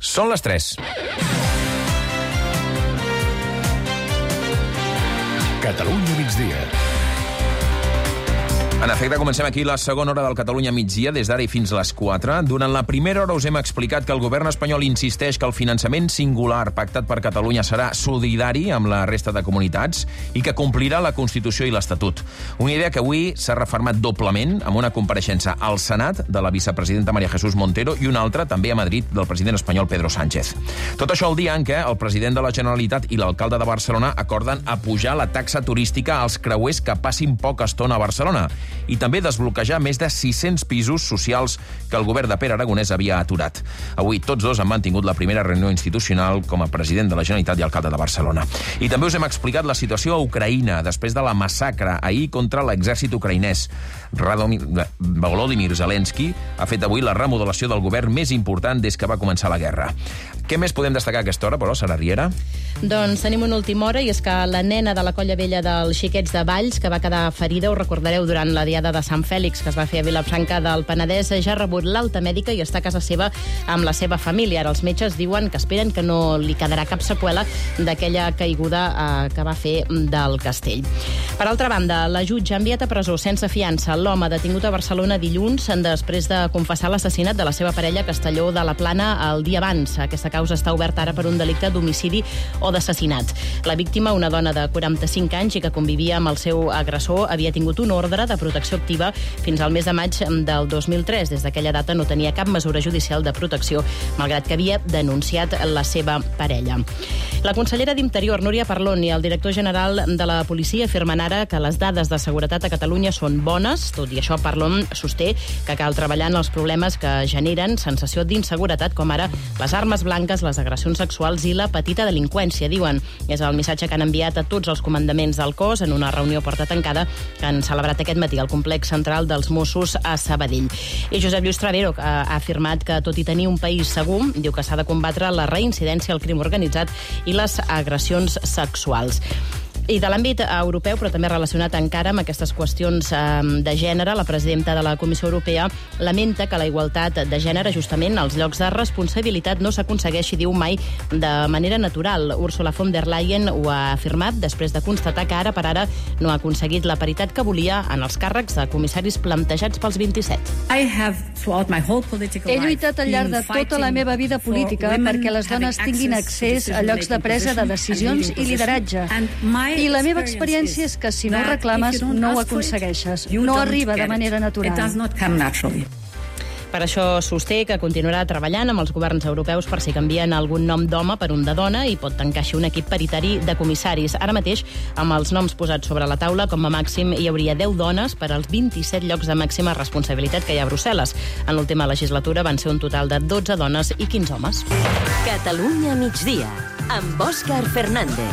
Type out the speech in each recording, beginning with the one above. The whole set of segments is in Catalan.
Són les 3. Catalunya migdia. En efecte, comencem aquí la segona hora del Catalunya migdia, des d'ara i fins a les 4. Durant la primera hora us hem explicat que el govern espanyol insisteix que el finançament singular pactat per Catalunya serà solidari amb la resta de comunitats i que complirà la Constitució i l'Estatut. Una idea que avui s'ha refermat doblement amb una compareixença al Senat de la vicepresidenta María Jesús Montero i una altra també a Madrid del president espanyol Pedro Sánchez. Tot això el dia en què el president de la Generalitat i l'alcalde de Barcelona acorden apujar la taxa turística als creuers que passin poca estona a Barcelona i també desbloquejar més de 600 pisos socials que el govern de Pere Aragonès havia aturat. Avui tots dos han mantingut la primera reunió institucional com a president de la Generalitat i alcalde de Barcelona. I també us hem explicat la situació a Ucraïna després de la massacre ahir contra l'exèrcit ucraïnès. Volodymyr Zelensky ha fet avui la remodelació del govern més important des que va començar la guerra. Què més podem destacar a aquesta hora, però, Sara Riera? Doncs tenim una última hora, i és que la nena de la Colla Vella dels Xiquets de Valls, que va quedar ferida, ho recordareu, durant la diada de Sant Fèlix, que es va fer a Vilafranca del Penedès, ja ha rebut l'alta mèdica i està a casa seva amb la seva família. Ara els metges diuen que esperen que no li quedarà cap seqüela d'aquella caiguda que va fer del castell. Per altra banda, la jutge ha enviat a presó sense fiança l'home detingut a Barcelona dilluns després de confessar l'assassinat de la seva parella a Castelló de la Plana el dia abans. Aquesta causa està oberta ara per un delicte d'homicidi o d'assassinat. La víctima, una dona de 45 anys i que convivia amb el seu agressor, havia tingut un ordre de protecció activa fins al mes de maig del 2003. Des d'aquella data no tenia cap mesura judicial de protecció, malgrat que havia denunciat la seva parella. La consellera d'Interior, Núria Parlon, i el director general de la policia afirmen ara que les dades de seguretat a Catalunya són bones. Tot i això, Parlon sosté que cal treballar en els problemes que generen sensació d'inseguretat, com ara les armes blanques, les agressions sexuals i la petita delinqüència, diuen. És el missatge que han enviat a tots els comandaments del cos en una reunió a porta tancada que han celebrat aquest matí al complex central dels Mossos a Sabadell. I Josep Lluís Travero ha afirmat que, tot i tenir un país segur, diu que s'ha de combatre la reincidència, el crim organitzat i les agressions sexuals. I de l'àmbit europeu, però també relacionat encara amb aquestes qüestions de gènere, la presidenta de la Comissió Europea lamenta que la igualtat de gènere, justament als llocs de responsabilitat, no s'aconsegueixi, diu, mai de manera natural. Ursula von der Leyen ho ha afirmat després de constatar que ara per ara no ha aconseguit la paritat que volia en els càrrecs de comissaris plantejats pels 27. He lluitat al llarg de tota la meva vida política perquè les dones tinguin accés a llocs de presa de decisions i lideratge. I la meva experiència és que si no ho reclames, no ho aconsegueixes. No arriba de manera natural. Per això sosté que continuarà treballant amb els governs europeus per si canvien algun nom d'home per un de dona i pot tancar així un equip paritari de comissaris. Ara mateix, amb els noms posats sobre la taula, com a màxim hi hauria 10 dones per als 27 llocs de màxima responsabilitat que hi ha a Brussel·les. En l'última legislatura van ser un total de 12 dones i 15 homes. Catalunya migdia, amb Òscar Fernández.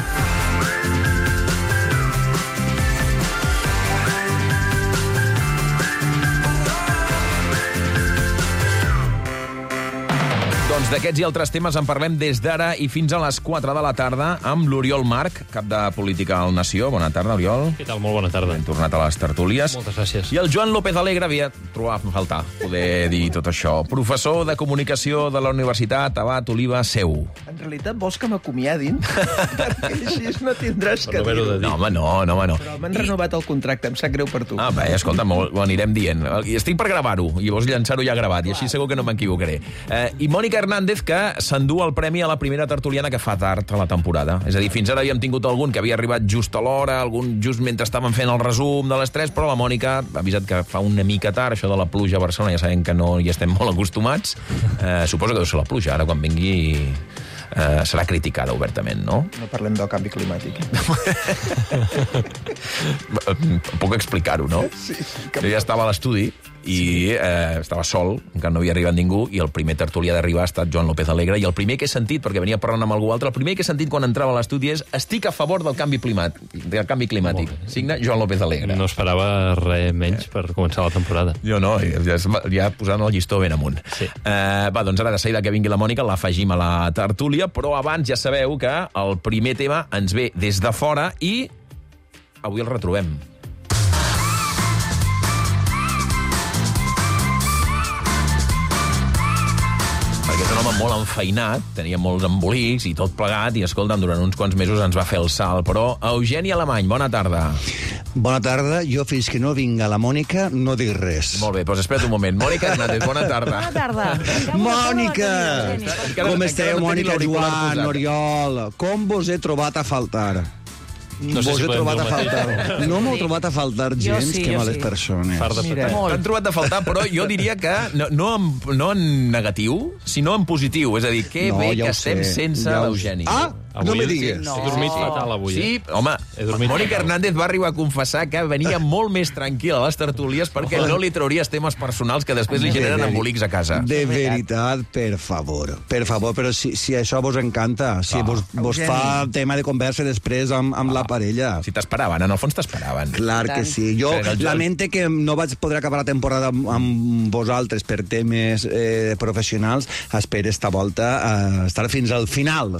Doncs d'aquests i altres temes en parlem des d'ara i fins a les 4 de la tarda amb l'Oriol Marc, cap de Política al Nació. Bona tarda, Oriol. Què tal? Molt bona tarda. Hem tornat a les tertúlies. Moltes gràcies. I el Joan López Alegre havia trobat a faltar poder dir tot això. Professor de Comunicació de la Universitat Abat Oliba Seu. En realitat vols que m'acomiadin? Perquè així no tindràs que dir-ho. No, home, no. Però m'han renovat el contracte, em sap greu per tu. Ah, bé, escolta, ho anirem dient. I estic per gravar-ho, i llavors llançar-ho ja gravat, i així segur que no m'equivocaré. I Mònica Hernández, que s'endú el premi a la primera tertuliana que fa tard a la temporada. És a dir, fins ara havíem tingut algun que havia arribat just a l'hora, algun just mentre estàvem fent el resum de les 3, però la Mònica ha avisat que fa una mica tard, això de la pluja a Barcelona, ja sabem que no hi estem molt acostumats. Suposo que deu ser la pluja, ara quan vingui serà criticada obertament, no? No parlem del canvi climàtic. Puc explicar-ho, no? Sí. Jo ja estava a l'estudi i estava sol, encara no havia arribat ningú, i el primer tertulià d'arribar ha estat Joan López Alegre, i el primer que he sentit, perquè venia parlant amb algú altre, el primer que he sentit quan entrava a l'estudi és: estic a favor del canvi climàtic. Signa Joan López Alegre. No esperava res menys per començar la temporada. Jo no, ja posant el llistó ben amunt. Sí. Va, doncs ara de seguida que vingui la Mònica l'afegim a la tertúlia, però abans ja sabeu que el primer tema ens ve des de fora i avui el retrobem. Perquè és un home estava molt enfeinat, tenia molts embolics i tot plegat, i escolta'm, durant uns quants mesos ens va fer el salt. Però, Eugeni Alemany, bona tarda. Bona tarda. Jo, fins que no vinga la Mònica, no dic res. Molt bé, doncs espera't un moment. Mònica Hernández, bona tarda. Bona tarda. Mònica! Com esteu, Mònica, Joan, posat. Oriol? Com vos he trobat a faltar? No sé vos si he podem trobat dir a el mateix. faltar. No m'heu trobat a faltar gens, sí, que jo males sí. persones. Fart de Mira, petar. T'han trobat a faltar, però jo diria que no en negatiu, sinó en positiu. És a dir, que bé ja que ho estem sé, sense ja ho l'Eugeni. sé. Ah, no me digues. He dormit fatal avui. Sí, home, He dormit Mònica fatal. Hernández va arribar a confessar que venia molt més tranquil·la a les tertúlies perquè no li trauries temes personals que després li generen embolics a casa. De veritat, per favor, però si això vos encanta, si vos fa tema de conversa després amb la parella. Si t'esperaven, en el fons t'esperaven. Clar que sí. Jo lamente que no vaig poder acabar la temporada amb vosaltres per temes professionals. Espero esta volta estar fins al final,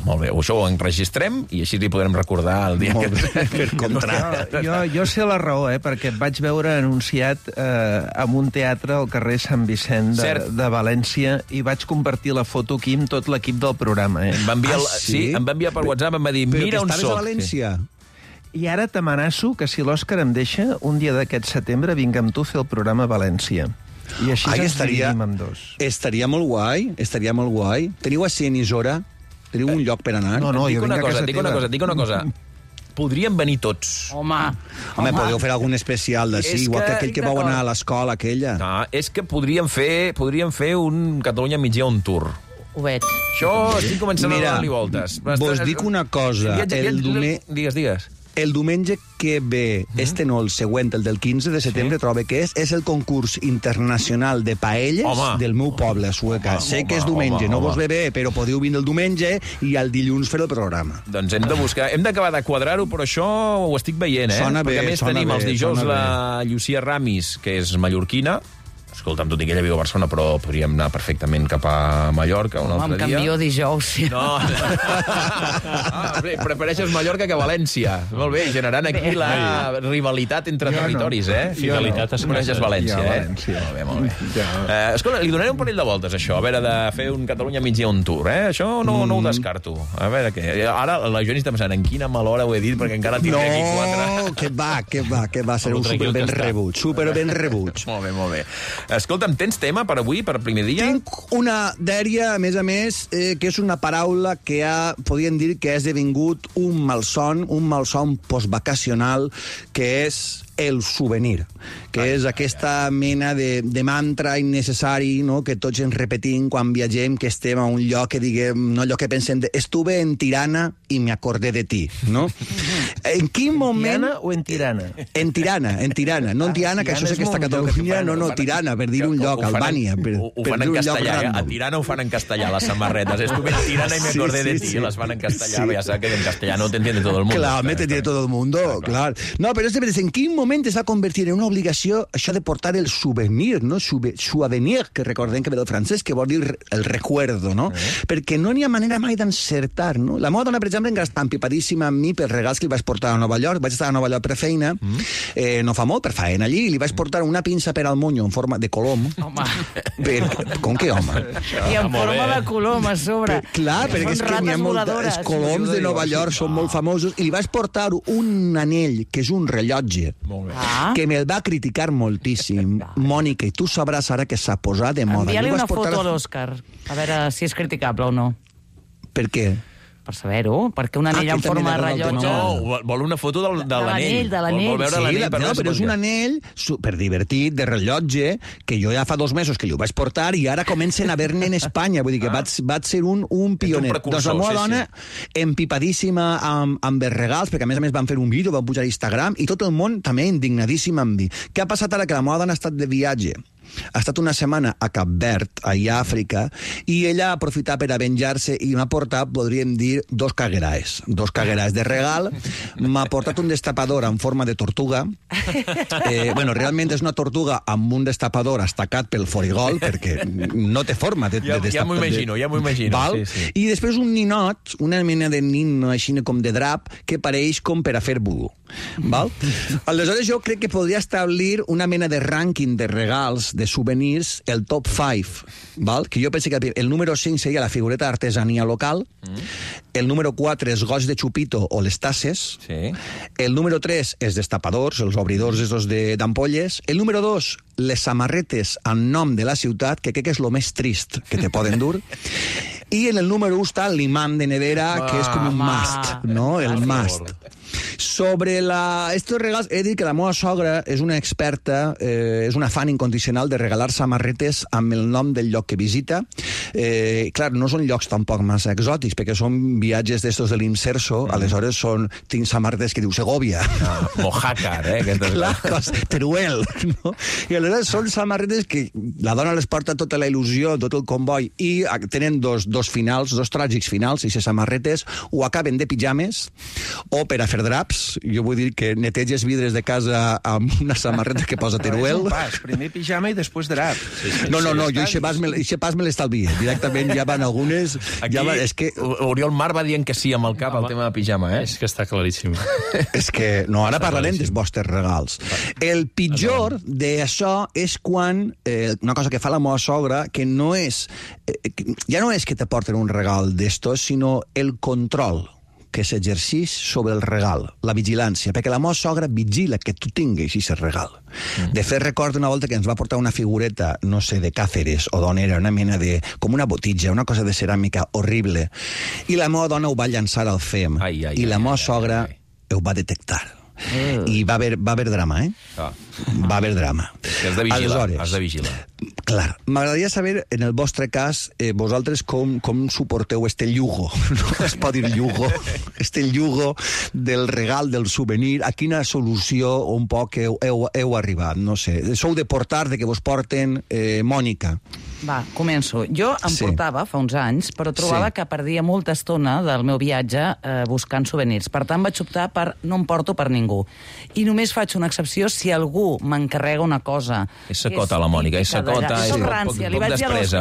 Molt bé, això ho enregistrem i així li podrem recordar el dia Molt que... bé, per contracte. Jo sé la raó, perquè et vaig veure anunciat en un teatre al carrer Sant Vicent de València i vaig compartir la foto aquí amb tot l'equip del programa. Em va enviar, sí? em va enviar per WhatsApp, em va dir, Però mira que on estaves soc. a València? I ara t'amenaço que si l'Òscar em deixa, un dia d'aquest setembre vinc amb tu a fer el programa a València. I així ens dividim amb dos. Estaria molt guai, Teniu a emissora? Teniu un lloc per anar? No, Et dic jo vinc a casa teva. dic una cosa. Podríem venir tots. Home, Podeu fer algun especial d'ací, És igual que- que aquell que vau anar a l'escola, aquella. No, és que podríem fer un Catalunya migdia on tour. ho veig. Això estic començant Mira, a donar-li voltes. vos dic una cosa, Digues. El diumenge que ve, no, el següent, el del 15 de setembre, trobo que és el concurs internacional de paelles del meu poble, a Sueca. Sé que és diumenge, no vos ve bé, però podeu vindre el diumenge i el dilluns fer el programa. Doncs hem d'acabar de quadrar-ho, però això ho estic veient, Sona bé, Perquè a més sona tenim bé, els dijous sona la Llucia Ramis, que és mallorquina. Escolta'm, tot i que ella viu a Barcelona, però podríem anar perfectament cap a Mallorca un altre dia. Em canvio dijous, sí. No. Prefereixes Mallorca que València. Molt bé, generant aquí la rivalitat entre territoris, Fidelitat Tu coneixes València, Molt bé. Escolta, li donaré un parell de voltes, això, a veure, de fer un Catalunya migdia on tour, Això no ho descarto. A veure què. Ara la Joani està pensant en quina mala hora ho he dit, perquè encara tindré aquí quatre. No, que va, serà un superben rebuig. Molt bé. Escolta'm, tens tema per avui, per primer dia? Tinc una dèria, a més, que és una paraula que podríem dir que ha esdevingut un malson postvacacional, que és el souvenir, que és aquesta mena de mantra innecessari, no?, que tots ens repetim quan viatgem, que estem a un lloc que diguem, no, allò que pensem de estuve en Tirana i me acordé de ti, no? En quin moment... Tirana o en Tirana? En Tirana, no en Tirana, que això sé que està a Catalunya, no, Tirana, per dir un lloc, Albània. Ho fan en castellà, a Tirana ho fan en castellà, les samarretes. Estuve en Tirana y me acordé de ti, les fan en castellà, ja saps que en castellano te entiende todo el mundo. Clar, me entiende todo el mundo, clar. No, però és de veritat, en quin moment es va convertir en una obligació això de portar el souvenir, no? Souvenir, que recordem que ve del francès, que vol dir el recuerdo, no? Perquè no n'hi ha manera mai d'encertar, no? La meva dona, per exemple, encara està empipadíssima amb mi pels regals que li vaig portar a Nova York. Vaig estar a Nova York per feina, no fa molt, per feina allí, i li vaig portar una pinça per al monyo en forma de colom. Home. Com que home? I en forma de colom a sobre. Clar, perquè és que n'hi ha els coloms de Nova York són molt famosos, i li vaig portar un anell, que és un rellotge, que me'l va criticar moltíssim. Mònica, i tu sabràs ara que s'ha posat de moda. Envia-li una foto a l'Òscar, a veure si és criticable o no. Per què? Per saber-ho, perquè un anell en forma de rellotge... No, vol una foto de l'anell. Vol veure l'anell per veure si però és un anell super divertit, de rellotge, que jo ja fa 2 mesos que li ho vaig portar i ara comencen a haver-ne en Espanya. Vull dir que vaig ser un pioner. Doncs la meva dona, empipadíssima amb els regals, perquè a més van fer un vídeo, van pujar a Instagram, i tot el món també indignadíssim amb mi. Què ha passat ara? Que la meva dona ha estat de viatge. Ha estat una setmana a Cap Verd, allà a Àfrica, i ella ha aprofitat per a venjar-se i m'ha portat, podríem dir, 2 cagueraes de regal. M'ha portat un destapador en forma de tortuga. Realment és una tortuga amb un destapador estacat pel forigol, perquè no té forma de destapador. Ja m'ho imagino. Sí. I després un ninot, una mena de nin així com de drap, que pareix com per a fer vudú. Val? Aleshores jo crec que podria establir una mena de rànquing de regals de souvenirs, el top 5, val? Que jo penso que el número 5 seria la figureta d'artesania local, el número 4 és goig de xupito o les tasses, el número 3 és destapadors, els obridors esos d'ampolles, el número 2 les samarretes en nom de la ciutat, que crec que és el més trist que te poden dur, i en el número 1 està l'imant de nevera, que és com un must, no? El must. Sobre estos regals, he dit que la meva sogra és una experta, és una fan incondicional de regalar samarretes amb el nom del lloc que visita. Clar, no són llocs tampoc massa exòtics, perquè són viatges d'estos de l'Inserso, aleshores tinc samarretes que diu Segovia. Mojácar, Clar, Teruel, no? I aleshores són samarretes que la dona les porta tota la il·lusió, tot el comboi, i tenen dos finals, dos tràgics finals, i les samarretes o acaben de pijames o per a fer draps. Jo vull dir que neteges vidres de casa amb una samarreta que posa Teruel. Primer pijama i després drap. No, jo eixe pas me l'estalvia. Directament ja van algunes... Aquí Oriol Mar va dient que sí amb el cap al tema de pijama, És que està claríssim. És que, no, ara parlarem dels vostres regals. El pitjor d'això és quan, una cosa que fa la meva sogra, que no és... Ja no és que te porten un regal d'estos, sinó el control que s'exercix sobre el regal, la vigilància, perquè la meva sogra vigila que tu tinguis aquest regal. De fet, recordo una volta que ens va portar una figureta, no sé, de Càceres o d'on era, una mena de... com una botitja, una cosa de ceràmica horrible, i la meva dona ho va llançar al FEM, i la meva sogra ho va detectar. I va haver drama, Va haver drama. Has de vigilar, has de vigilar. Clar, m'agradaria saber, en el vostre cas, vosaltres com suporteu este llugo, no es pot dir llugo, este llugo del regal, del souvenir, a quina solució un poc heu arribat, no sé. Sou de portar, de que vos porten, Mònica. Va, començo. Jo em portava fa uns anys, però trobava que perdia molta estona del meu viatge buscant souvenirs. Per tant, vaig optar per no em porto per ningú. I només faig una excepció si algú m'encarrega una cosa. És sacota, la Mònica, és sacota.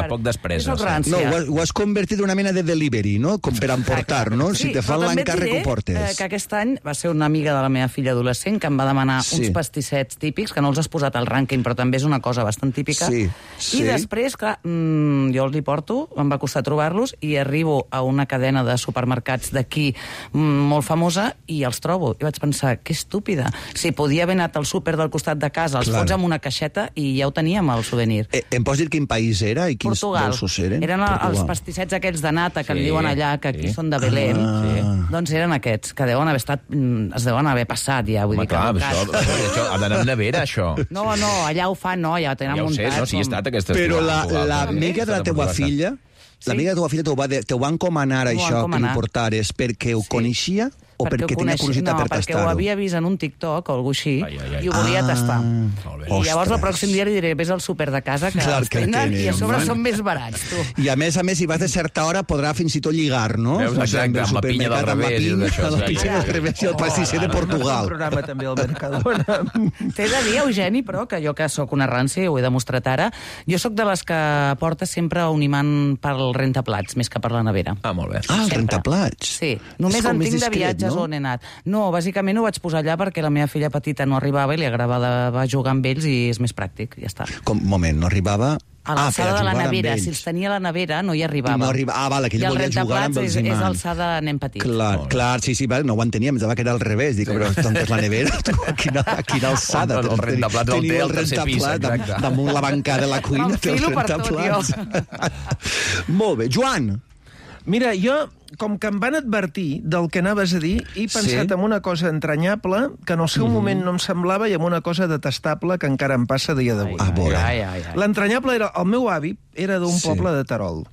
Poc despresa. No, ho has convertit en una mena de delivery, no? Com per emportar, no? Si te fan l'encàrrec, ho portes. Que aquest any va ser una amiga de la meva filla adolescent que em va demanar uns pastissets típics, que no els has posat al rànquing, però també és una cosa bastant típica. I després, clar, jo els hi porto, em va costar trobar-los, i arribo a una cadena de supermercats d'aquí molt famosa i els trobo. I vaig pensar, que estúpida. Si podia haver anat al súper del costat de casa, els fots amb una caixeta i ja ho teníem, el souvenir. Em pots dir quin país era i quins dolços eren? Eren els pastissets aquells de nata que en diuen allà, que aquí són de Belém. Doncs eren aquests, que deuen haver estat... es deuen haver passat ja, vull dir que... Això ha d'anar en nevera, això. No, allà ho fan, no, ja ho tenen muntat. Ja ho sé, no, si he estat aquesta... Però l'amiga de la teva filla, l'amiga de la teva filla t'ho va encomanar això, que li portares, perquè ho coneixia o perquè tenia curiositat per tastar-ho? No, perquè ho havia vist en un TikTok o alguna així i ho volia tastar. I llavors el pròxim dia li diré, vés al súper de casa que els tenen i a sobre són més barats, tu. I a més, si vas de certa hora podrà fins i tot lligar, no? Exacte, amb la pinya del revés. Amb la pinya del revés i el pastisser de Portugal. Un programa també al Mercadona. T'he de dir, Eugeni, però, que jo que sóc una rància, ho he demostrat ara, jo sóc de les que porta sempre un imant pel rentaplats, més que per la nevera. Molt bé. El rentaplats? Sí, només en tinc de viatges on he anat. No, bàsicament ho vaig posar allà perquè la meva filla petita no arribava i li agradava jugar amb ells i és més pràctic, ja està. Moment, no arribava... A l'alçada de la nevera. Si els tenia a la nevera, no hi arribava. Vale, que ell volia jugar amb els imants. I el rentaplats és alçada nen petit. Clar, sí, no ho enteníem, em que era al revés. Dic, però on és la nevera? Quina alçada. El rentaplats el té al tercer pis, exacte. Damunt la bancada de la cuina té el rentaplats. Molt bé. Joan! Mira, jo, com que em van advertir del que anaves a dir, he pensat en una cosa entranyable que en el seu moment no em semblava i en una cosa detestable que encara em passa a dia d'avui. L'entranyable era... El meu avi era d'un poble de Terol.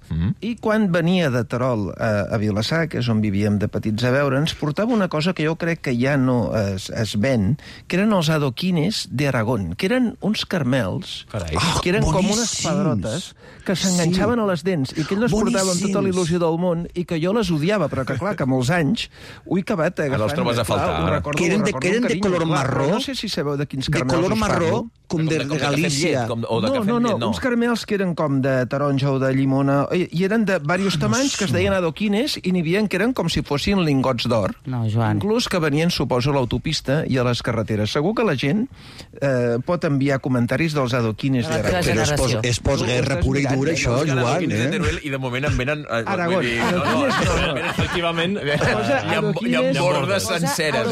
I quan venia de Terol a Vilassar, que és on vivíem de petits a veure, ens portava una cosa que jo crec que ja no es ven, que eren els adoquines d'Aragón, que eren uns carmels, que eren com unes pedrotes que s'enganxaven a les dents i que ell les portava amb tota la il·lusió del món i que jo les odiava, però que clar, que molts anys ho he acabat agafant. Els trobes a faltar. Que eren de color marró. No sé si sabeu de quins carmels us parlo. com de Galícia. No, uns caramels que eren com de taronja o de llimona, i eren de diversos tamanys que es deien adoquines, i n'hi havia que eren com si fossin lingots d'or. No, Joan. Inclús que venien, suposo, a l'autopista i a les carreteres. Segur que la gent pot enviar comentaris dels adoquines de Aragón. Però és postguerra pura i dura, això, Joan. I de moment em venen... Aragón. Efectivament, hi ha bordes senceres.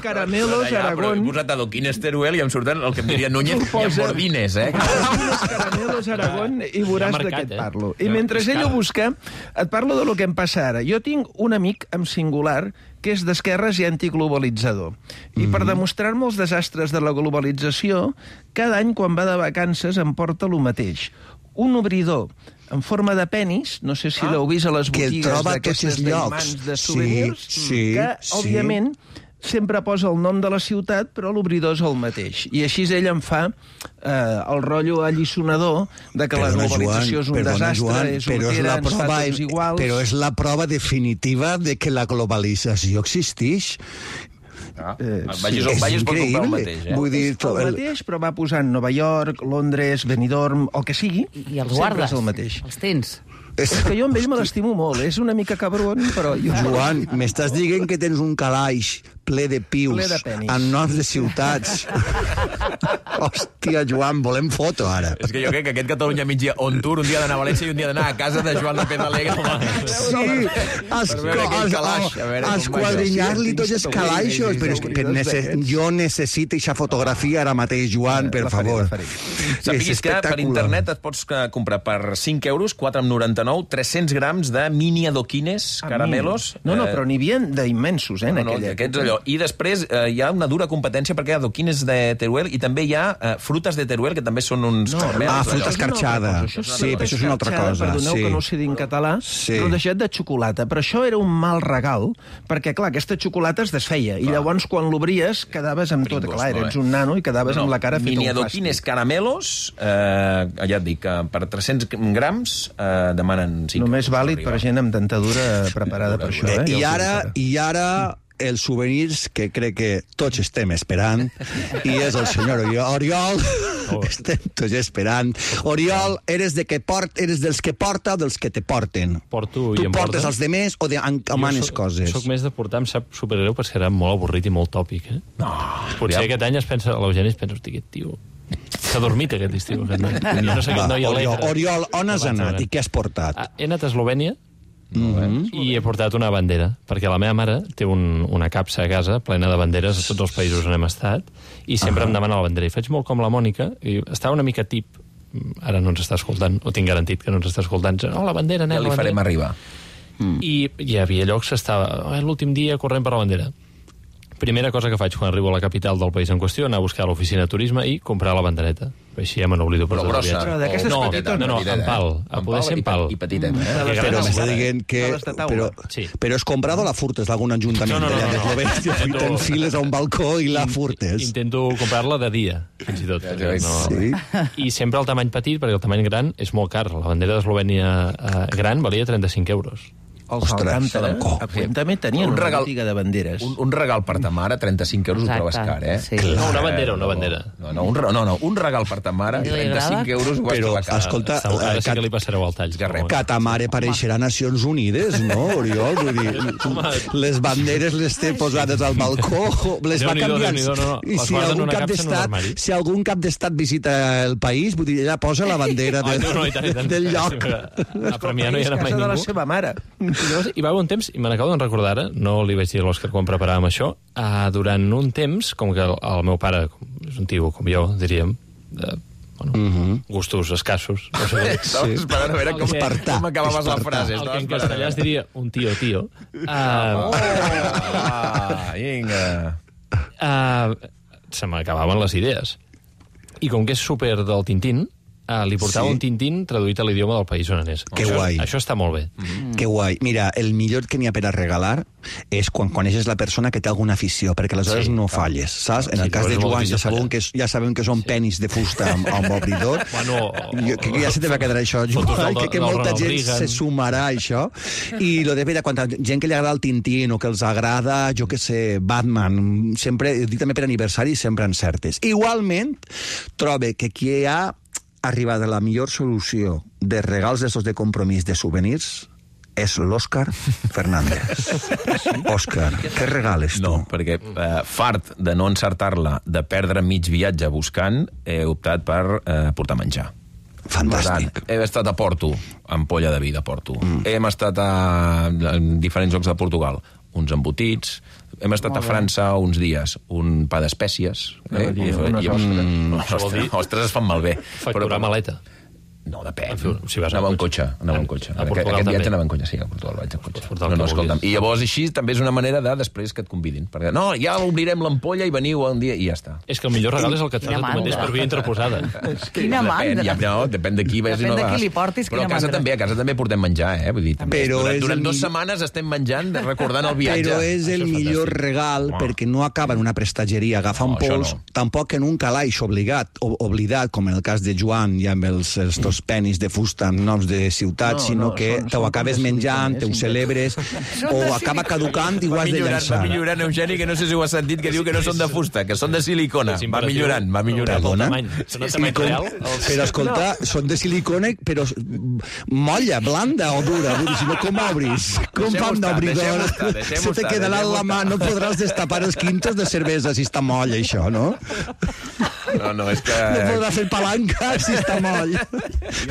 Caramelos, Aragón. He posat adoquines Teruel i em surten el que em diria Núñez i amb bordines, Caramelos, Aragón, i veuràs de què et parlo. I mentre ell ho busca, et parlo de lo que em passa ara. Jo tinc un amic en singular que és d'esquerres i antiglobalitzador. I per demostrar-me els desastres de la globalització, cada any quan va de vacances em porta el mateix. Un obridor en forma de penis, no sé si l'heu vist a les botigues d'aquestes d'imants de souvenirs, que, òbviament, sempre posa el nom de la ciutat, però l'obridor és el mateix. I així ell em fa el rotllo allisonador de que la globalització és un desastre, és hortera, ens fa tots iguals... Però és la prova definitiva de que la globalització existeix. Vagis pot comprar el mateix, Vull dir, el mateix, però va posant Nova York, Londres, Benidorm, el que sigui. I els guardes, el mateix. els tens. És que jo amb ell me l'estimo molt. És una mica cabron, però... Joan, m'estàs dient que tens un calaix ple de pius en noms de ciutats. Hòstia, Joan, volem foto, ara. És que jo crec que aquest Catalunya migdia on tour, un dia d'anar a València i un dia d'anar a casa de Joan López Alegre. Sí, esquadrinyar-li tots els calaixos. Però jo necessito aquesta fotografia ara mateix, Joan, per favor. Sàpiguis que per internet et pots comprar per 5 euros, 4,99, 300 grams de mini adoquines, caramelos. No, però n'hi havia d'immensos, en aquella. Aquests allò. I després hi ha una dura competència perquè hi ha adoquines de Teruel i també hi ha frutes de Teruel, que també són uns caramels. Fruta escarxada. Sí, però això és una altra cosa. Perdoneu que no ho sé dir en català, però deixat de xocolata. Però això era un mal regal, perquè, clar, aquesta xocolata es desfeia, i llavors, quan l'obries, quedaves amb tot. Clar, eres un nano i quedaves amb la cara feta un mini adoquines caramelos, ja et dic, per 300 grams demanen 5 euros. Només vàlid per gent amb dentadura preparada per això. I ara els souvenirs que crec que tots estem esperant, i és el senyor Oriol. Estem tots esperant. Oriol, eres dels que porta o dels que te porten? Porto i em portes. Tu portes els demés o manes coses? Jo soc més de portar, em sap supergreu, perquè serà molt avorrit i molt tòpic, eh? Potser aquest any l'Eugeni es pensa, hosti, aquest tio... S'ha dormit aquest estiu, aquest noi. Jo no sé aquest noi alegre. Oriol, on has anat i què has portat? He anat a Eslovènia, i he portat una bandera, perquè la meva mare té una capsa a casa plena de banderes de tots els països on hem estat, i sempre em demana la bandera. I faig molt com la Mònica, i estava una mica tip, ara no ens està escoltant, o tinc garantit que no ens està escoltant, la bandera, ja li farem arribar. I hi havia llocs que estava l'últim dia corrent per la bandera. Primera cosa que faig quan arribo a la capital del país en qüestió, anar a buscar a l'oficina de turisme i comprar la bandereta. Així ja me n'oblido per tot el viatge. Però d'aquestes petites... No, en pal. A poder ser en pal. I petitet, Però m'està dient que... Però has comprado la furtes d'algun ajuntament? No. T'enfiles a un balcó i la furtes. Intento comprar-la de dia, fins i tot. I sempre el tamany petit, perquè el tamany gran és molt car. La bandera d'Eslovènia gran valia 35 euros. Els Alcántara també tenien una botiga de banderes. Un regal per ta mare, 35 euros, ho trobes car, eh? No, una bandera. No, un regal per ta mare, 35 euros, ho vas trobar car. Escolta, ara sí que li passareu al tall. Que ta mare pareixerà Nacions Unides, no, Oriol? Les banderes les té posades al balcó, les va canviant. I si algun cap d'estat visita el país, vull dir, ella posa la bandera del lloc. A Premià no hi era mai ningú. És casa de la seva mare. I va haver un temps, i me n'acabo de recordar ara, no li vaig dir a l'Òscar quan preparàvem això, durant un temps, com que el meu pare és un tio com jo, diríem, de gustos escassos. No sé Estava esperant a veure com acabaves la frase. El que en castellà es diria un tio. Vinga. Se m'acabaven les idees. I com que és súper del Tintín, li portava un Tintín traduït a l'idioma del país on anés. Que guai. Això està molt bé. Que guai. Mira, el millor que n'hi ha per a regalar és quan coneixes la persona que té alguna afició, perquè aleshores no falles, saps? En el cas de Joan ja sabem que són penis de fusta amb obridor. Que ja se te va quedar això, Joan, que molta gent se sumarà a això. I lo de vera, quan gent que li agrada el Tintín o que els agrada, jo que sé, Batman, sempre, dic també per aniversari, sempre encertes. Igualment, trobe que qui ha arribat a la millor solució de regals d'estos de compromís de souvenirs és l'Òscar Fernández. Òscar, què regales tu? No, perquè fart de no encertar-la, de perdre mig viatge buscant, he optat per portar menjar. Fantàstic. He estat a Porto, ampolla de vi de Porto. Hem estat a diferents llocs de Portugal, uns embotits. Hem estat a França uns dies, un pa d'espècies. Ostres, es fan malbé. Facturar maleta. No, depèn. Si vas anava en cotxe. A Portugal aquest viatge anava en cotxe, sí, a Portugal vaig en cotxe. No, escolta'm. I llavors així també és una manera de després que et convidin. Perquè, no, ja obrirem l'ampolla i veniu un dia i ja està. És que el millor regal és el que et fas a tu mateix per via interposada. Quina mandra. Depèn de qui vas i no vas. Depèn de qui li portis, però a casa també portem menjar, Vull dir, durant 2 setmanes estem menjant, recordant el viatge. Però és el millor regal perquè no acaba en una prestatgeria agafant pols, tampoc en un calaix oblidat, com en el cas de Joan i amb els penis de fusta amb noms de ciutats, sinó que te ho acabes menjant, te ho celebres, o acaba caducant i ho has de llançar. Va millorant, Eugeni, que no sé si ho has sentit, que diu que no són de fusta, que són de silicona. Va millorant. Perdona? Però escolta, són de silicona, però molla, blanda o dura. Vull dir, si no, com obris? Com fan d'obridor? Se te quedarà en la mà, no podràs destapar els quintos de cervesa si està moll, això, no? No, és que... No podrà fer palanca si està moll.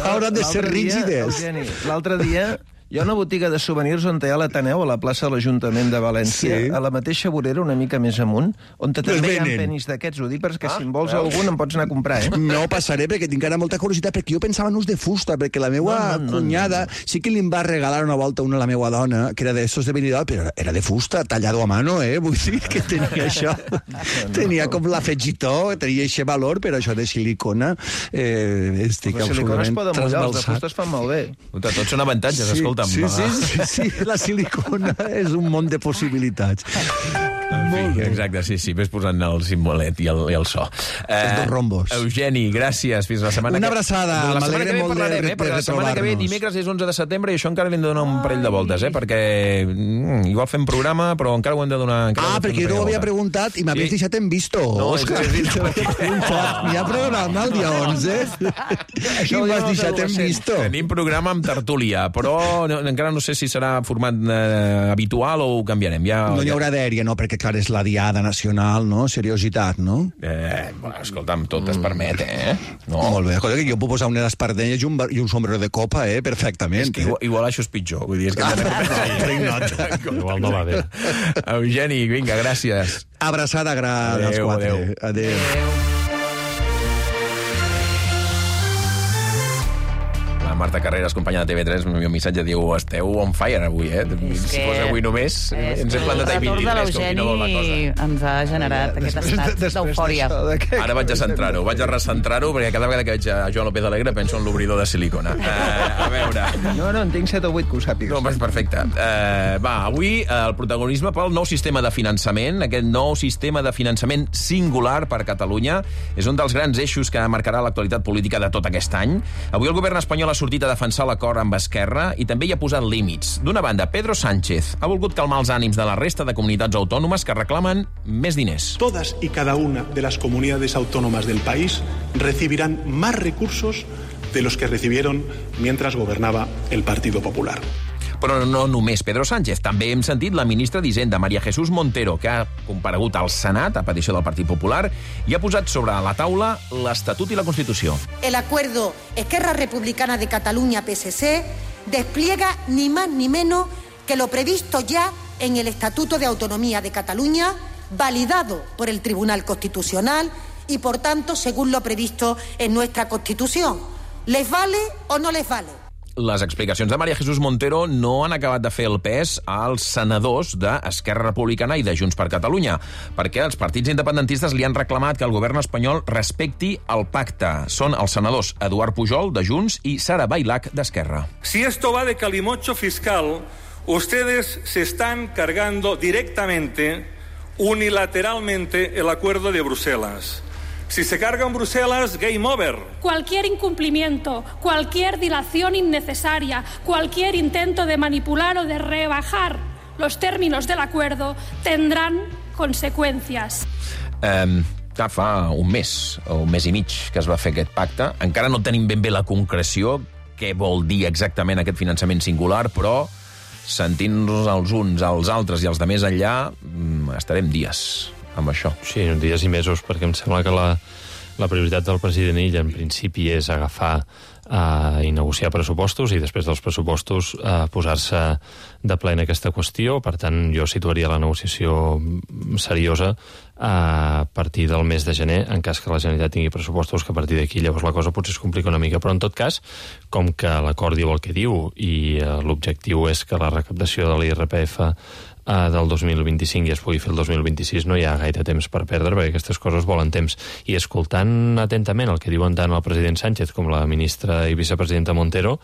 Hauran de ser rígides. L'altre dia, hi ha una botiga de souvenirs on hi ha l'Ateneu, a la plaça de l'Ajuntament de València, a la mateixa vorera, una mica més amunt, on també hi ha penis d'aquests. Ho dic perquè si en vols algun em pots anar a comprar, No passaré, perquè tinc ara molta curiositat, perquè jo pensava en ús de fusta, perquè la meva cunyada sí que li va regalar una volta una a la meva dona, que era d'estos de Benidorm, però era de fusta, tallado a mano, Vull dir que tenia això. Tenia com l'afegitó, tenia aquest valor, però això de silicona estic absolutament trasbalsat. Els de fusta es fan malbé. Tots són avantatges, escolta. Sí, la silicona és un món de possibilitats. Exacte, sí, ves posant el simbolet i el so. Els dos rombos. Eugeni, gràcies, fins la setmana que ve. Una abraçada, m'alegrem molt de retrobar-nos. Perquè la setmana que ve, dimecres, és 11 de setembre i això encara li hem de donar un parell de voltes, perquè igual fem programa, però encara ho hem de donar... Perquè no ho havia preguntat i m'havies deixat en visto. No, Òscar, n'hi ha programa el dia 11 i m'has deixat en visto. Tenim programa amb tertúlia, però encara no sé si serà format habitual o ho canviarem. No hi haurà dèria, no? Perquè, clar, és la diada nacional, no? Seriositat, no? Escolta'm, tot es permet, No. Molt bé, escolta, que jo puc posar unes espardenyes i un sombrero de copa, perfectament. És que igual això és pitjor, vull dir, és que... Igual no va bé. Eugeni, vinga, gràcies. Abraçada gran als 4. Adéu. Marta Carreras, companya de TV3, el meu missatge diu: esteu on fire avui, Si fos avui només, ens hem plantat a 23, com qui no vol la cosa. Ens ha generat aquest estat d'eufòria. Ara vaig a centrar-ho, vaig a recentrar-ho, perquè cada vegada que veig a Joan López Alegre penso en l'obridor de silicona. A veure... No, en tinc 7 o 8 que ho sàpigues. No, perfecte. Avui el protagonisme pel nou sistema de finançament, aquest nou sistema de finançament singular per Catalunya, és un dels grans eixos que marcarà l'actualitat política de tot aquest any. Avui el govern espanyol ha sortit a defensar l'acord amb Esquerra i també hi ha posat límits. D'una banda, Pedro Sánchez ha volgut calmar els ànims de la resta de comunitats autònomes que reclamen més diners. Todas y cada una de las comunidades autónomas del país recibirán más recursos de los que recibieron mientras gobernaba el Partido Popular. Però no només Pedro Sánchez. També hem sentit la ministra d'Hisenda, María Jesús Montero, que ha comparegut al Senat a petició del Partit Popular i ha posat sobre la taula l'Estatut i la Constitució. El acuerdo Esquerra Republicana de Catalunya-PSC despliega ni más ni menos que lo previsto ya en el Estatuto de Autonomía de Cataluña, validado por el Tribunal Constitucional y, por tanto, según lo previsto en nuestra Constitución. ¿Les vale o no les vale? les explicacions de María Jesús Montero no han acabat de fer el pes als senadors d'Esquerra Republicana i de Junts per Catalunya, perquè els partits independentistes li han reclamat que el govern espanyol respecti el pacte. Són els senadors Eduard Pujol, de Junts, i Sara Bailac, d'Esquerra. Si esto va de calimocho fiscal, ustedes se están cargando directamente, unilateralmente, el acuerdo de Bruselas. Si se carga en Bruselas, game over. Cualquier incumplimiento, cualquier dilación innecesaria, cualquier intento de manipular o de rebajar los términos del acuerdo tendrán consecuencias. Fa un mes o un mes i mig que es va fer aquest pacte. Encara no tenim ben bé la concreció, què vol dir exactament aquest finançament singular, però sentint-nos els uns, els altres i els de més enllà, estarem dies amb això. Sí, dies i mesos, perquè em sembla que la prioritat del president Illa en principi és agafar i negociar pressupostos i després dels pressupostos posar-se de ple en aquesta qüestió. Per tant, jo situaria la negociació seriosa a partir del mes de gener, en cas que la Generalitat tingui pressupostos, que a partir d'aquí llavors la cosa potser es complica una mica. Però en tot cas, com que l'acord diu el que diu i l'objectiu és que la recaptació de l'IRPF del 2025 i es pugui fer el 2026, no hi ha gaire temps per perdre, perquè aquestes coses volen temps. I escoltant atentament el que diuen tant el president Sánchez com la ministra i vicepresidenta Montero,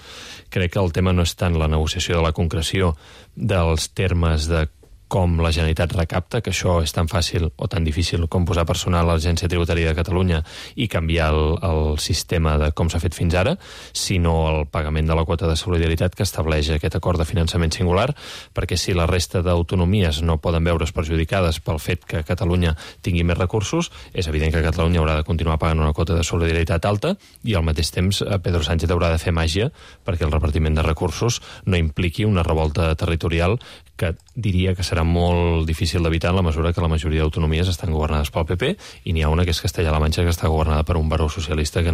crec que el tema no és tant la negociació de la concreció dels termes de com la Generalitat recapta, que això és tan fàcil o tan difícil com posar personal a l'Agència Tributària de Catalunya i canviar el sistema de com s'ha fet fins ara, sinó el pagament de la quota de solidaritat que estableix aquest acord de finançament singular, perquè si la resta d'autonomies no poden veure's perjudicades pel fet que Catalunya tingui més recursos, és evident que Catalunya haurà de continuar pagant una quota de solidaritat alta i al mateix temps Pedro Sánchez haurà de fer màgia perquè el repartiment de recursos no impliqui una revolta territorial que diria que serà molt difícil d'evitar en la mesura que la majoria d'autonomies estan governades pel PP i n'hi ha una que és Castella-La Manxa que està governada per un baró socialista que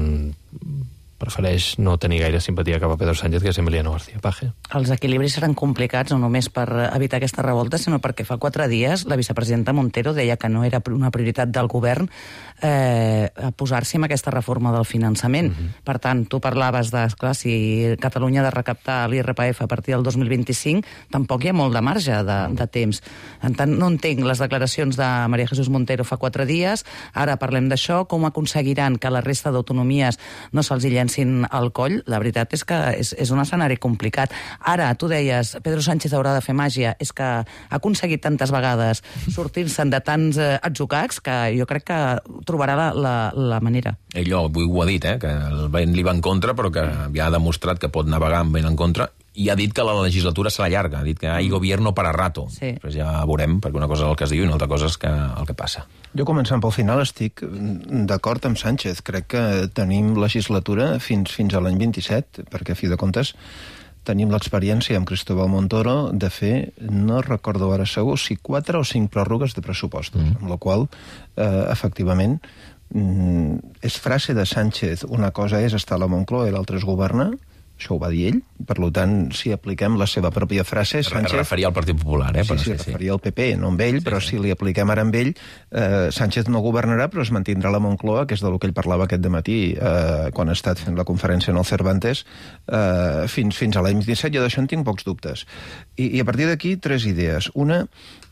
prefereix no tenir gaire simpatia cap a Pedro Sánchez, que és Emiliano García Paje. Els equilibris seran complicats no només per evitar aquesta revolta, sinó perquè fa 4 dies la vicepresidenta Montero deia que no era una prioritat del govern posar-s'hi amb aquesta reforma del finançament. Per tant, tu parlaves de, clar, si Catalunya ha de recaptar l'IRPF a partir del 2025, tampoc hi ha molt de marge de temps. En tant, no entenc les declaracions de María Jesús Montero fa 4 dies, ara parlem d'això, com aconseguiran que la resta d'autonomies no se'ls hi llencin al coll. La veritat és que és un escenari complicat. Ara, tu deies, Pedro Sánchez haurà de fer màgia, és que ha aconseguit tantes vegades sortir-se'n de tants atzucacs que jo crec que trobarà la manera. Ell ho ha dit, que el vent li va en contra, però que ja ha demostrat que pot navegar amb vent en contra, i ha dit que la legislatura serà llarga, ha dit que hi gobierno para rato. Sí. Després ja veurem, perquè una cosa és el que es diu i una altra cosa és el que passa. Jo, començant pel final, estic d'acord amb Sánchez. Crec que tenim legislatura fins a l'any 27, perquè, a fi de comptes, tenim l'experiència amb Cristóbal Montoro de fer, no recordo ara segur, si 4 o 5 pròrrogues de pressupostos, amb la qual, efectivament, és frase de Sánchez. Una cosa és estar a la Moncloa i l'altra és governar, això ho va dir ell, per tant, si apliquem la seva pròpia frase... Sánchez... Es referia al Partit Popular, Sí, referia al PP, no amb ell, però si li apliquem ara amb ell, Sánchez no governarà, però es mantindrà la Moncloa, que és del que ell parlava aquest dematí, quan ha estat fent la conferència en el Cervantes, fins a l'any 17, jo d'això en tinc pocs dubtes. I a partir d'aquí, 3 idees. Una,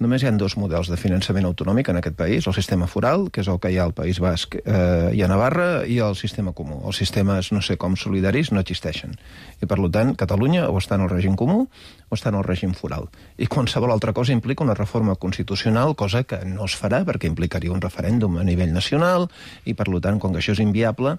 només hi ha 2 models de finançament autonòmic en aquest país, el sistema foral, que és el que hi ha al País Basc i a Navarra, i el sistema comú. Els sistemes, no sé com, solidaris, no existeixen. I, per tant, Catalunya o està en el règim comú o està en el règim foral. I qualsevol altra cosa implica una reforma constitucional, cosa que no es farà perquè implicaria un referèndum a nivell nacional i, per tant, com que això és inviable,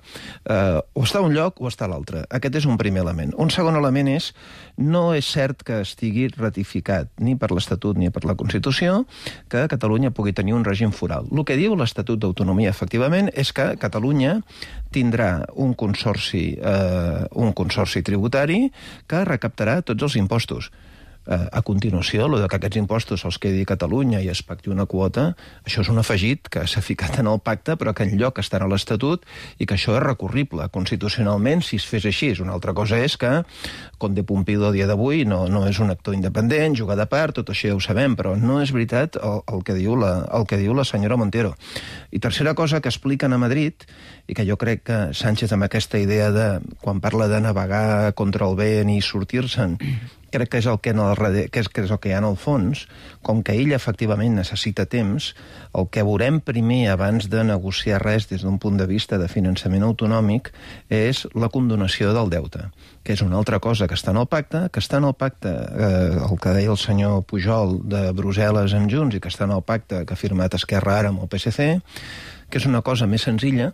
o està a un lloc o està a l'altre. Aquest és un primer element. Un segon element és, no és cert que estigui ratificat ni per l'Estatut ni per la Constitució que Catalunya pugui tenir un règim foral. El que diu l'Estatut d'Autonomia, efectivament, és que Catalunya tindrà un consorci tributari que recaptarà tots els impostos. A continuació, el que aquests impostos se'ls quedi a Catalunya i es pacti una quota, això és un afegit que s'ha ficat en el pacte, però que enlloc estarà a l'Estatut i que això és recurrible constitucionalment si es fes així. Una altra cosa és que Conde Pumpido a dia d'avui no és un actor independent, juga de part, tot això ja ho sabem, però no és veritat el que diu la senyora Montero. I tercera cosa que expliquen a Madrid, i que jo crec que Sánchez amb aquesta idea de, quan parla de navegar contra el vent i sortir-se'n, crec que és el que hi ha en el fons, com que ell efectivament necessita temps, el que veurem primer abans de negociar res des d'un punt de vista de finançament autonòmic és la condonació del deute, que és una altra cosa que està en el pacte, el que deia el senyor Pujol de Brussel·les amb Junts i que està en el pacte que ha firmat Esquerra ara amb el PSC, que és una cosa més senzilla,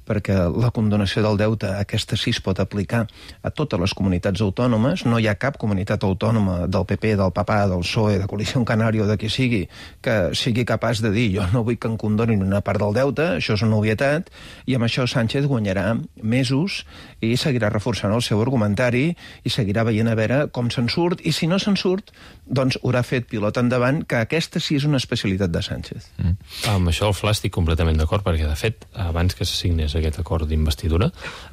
perquè la condonació del deute, aquesta sí es pot aplicar a totes les comunitats autònomes. No hi ha cap comunitat autònoma del PP, del PAPA, del PSOE, de Coalició Canària o de qui sigui, que sigui capaç de dir jo no vull que em condonin una part del deute, això és una obvietat, i amb això Sánchez guanyarà mesos i seguirà reforçant el seu argumentari i seguirà veient a veure com se'n surt, i si no se'n surt, doncs haurà fet pilot endavant, que aquesta sí és una especialitat de Sánchez. Amb això el Fla estic completament d'acord, perquè de fet, abans que s'assignés aquest acord d'investidura,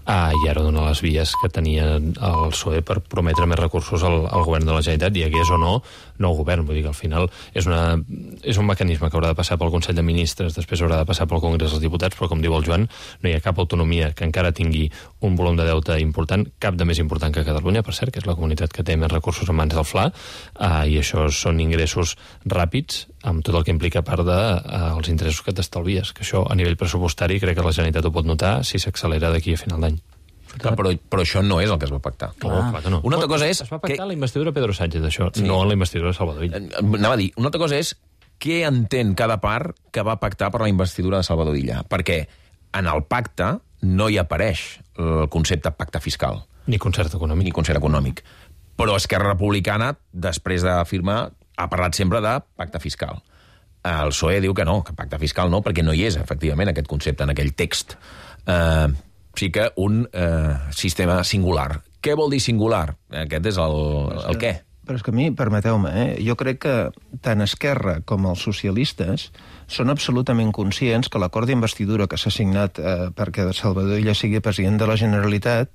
ja era donar les vies que tenia el PSOE per prometre més recursos al govern de la Generalitat, i hagués o no nou govern. Vull dir que al final és un mecanisme que haurà de passar pel Consell de Ministres, després haurà de passar pel Congrés dels Diputats, però com diu el Joan, no hi ha cap autonomia que encara tingui un volum de deute important, cap de més important que Catalunya, per cert, que és la comunitat que té més recursos en mans del Fla, i això són ingressos ràpids, amb tot el que implica a part dels interessos que t'estalvies, que això a nivell pressupostari crec que la Generalitat ho pot notar si s'accelera d'aquí a final d'any. Clar, però això no és el que es va pactar. Clar que no. Una altra cosa és... Es va pactar la investidura de Pedro Sánchez, això, no la investidura de Salvador Illa. Anava a dir, una altra cosa és què entén cada part que va pactar per la investidura de Salvador Illa, perquè en el pacte no hi apareix el concepte pacte fiscal. Ni concert econòmic. Però Esquerra Republicana, després de firmar, ha parlat sempre de pacte fiscal. El PSOE diu que no, que pacte fiscal no, perquè no hi és, efectivament, aquest concepte en aquell text. Sí que un sistema singular. Què vol dir singular? Aquest és el què. Però és que a mi, permeteu-me, jo crec que tant Esquerra com els socialistes són absolutament conscients que l'acord d'investidura que s'ha signat perquè Salvador Illa sigui president de la Generalitat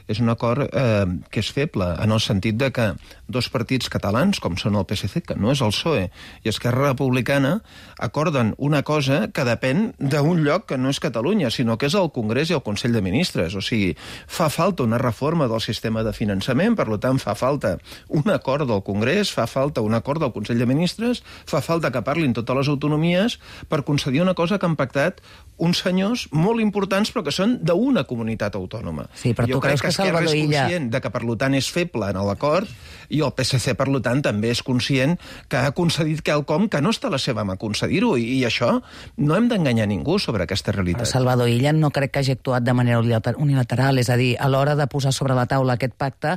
és un acord que és feble, en el sentit de que dos partits catalans, com són el PSC, que no és el PSOE, i Esquerra Republicana, acorden una cosa que depèn d'un lloc que no és Catalunya, sinó que és el Congrés i el Consell de Ministres. O sigui, fa falta una reforma del sistema de finançament, per tant, fa falta un acord del Congrés, fa falta un acord del Consell de Ministres, fa falta que parlin totes les autonomies per concedir una cosa que han pactat uns senyors molt importants, però que són d'una comunitat autònoma. Sí, però tu creus que Salvador Illa... és conscient de que, per tant, és feble en l'acord, i el PSC, per tant, també és conscient que ha concedit quelcom que no està a la seva mà concedir-ho, i això no hem d'enganyar ningú sobre aquesta realitat. Però Salvador Illa no crec que hagi actuat de manera unilateral, és a dir, a l'hora de posar sobre la taula aquest pacte,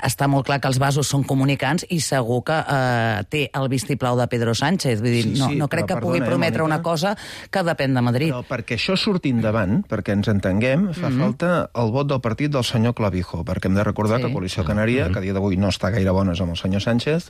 està molt clar que els vasos són comunicants i segur que té el vistiplau de Pedro Sánchez. Vull dir, no crec que pugui prometre una cosa que depèn de Madrid. Però perquè això surti endavant, perquè ens entenguem, fa falta el vot del partit del senyor Clavijo, perquè hem de recordar que Coalició Canària, que a dia d'avui no està gaire bones amb el senyor Sánchez,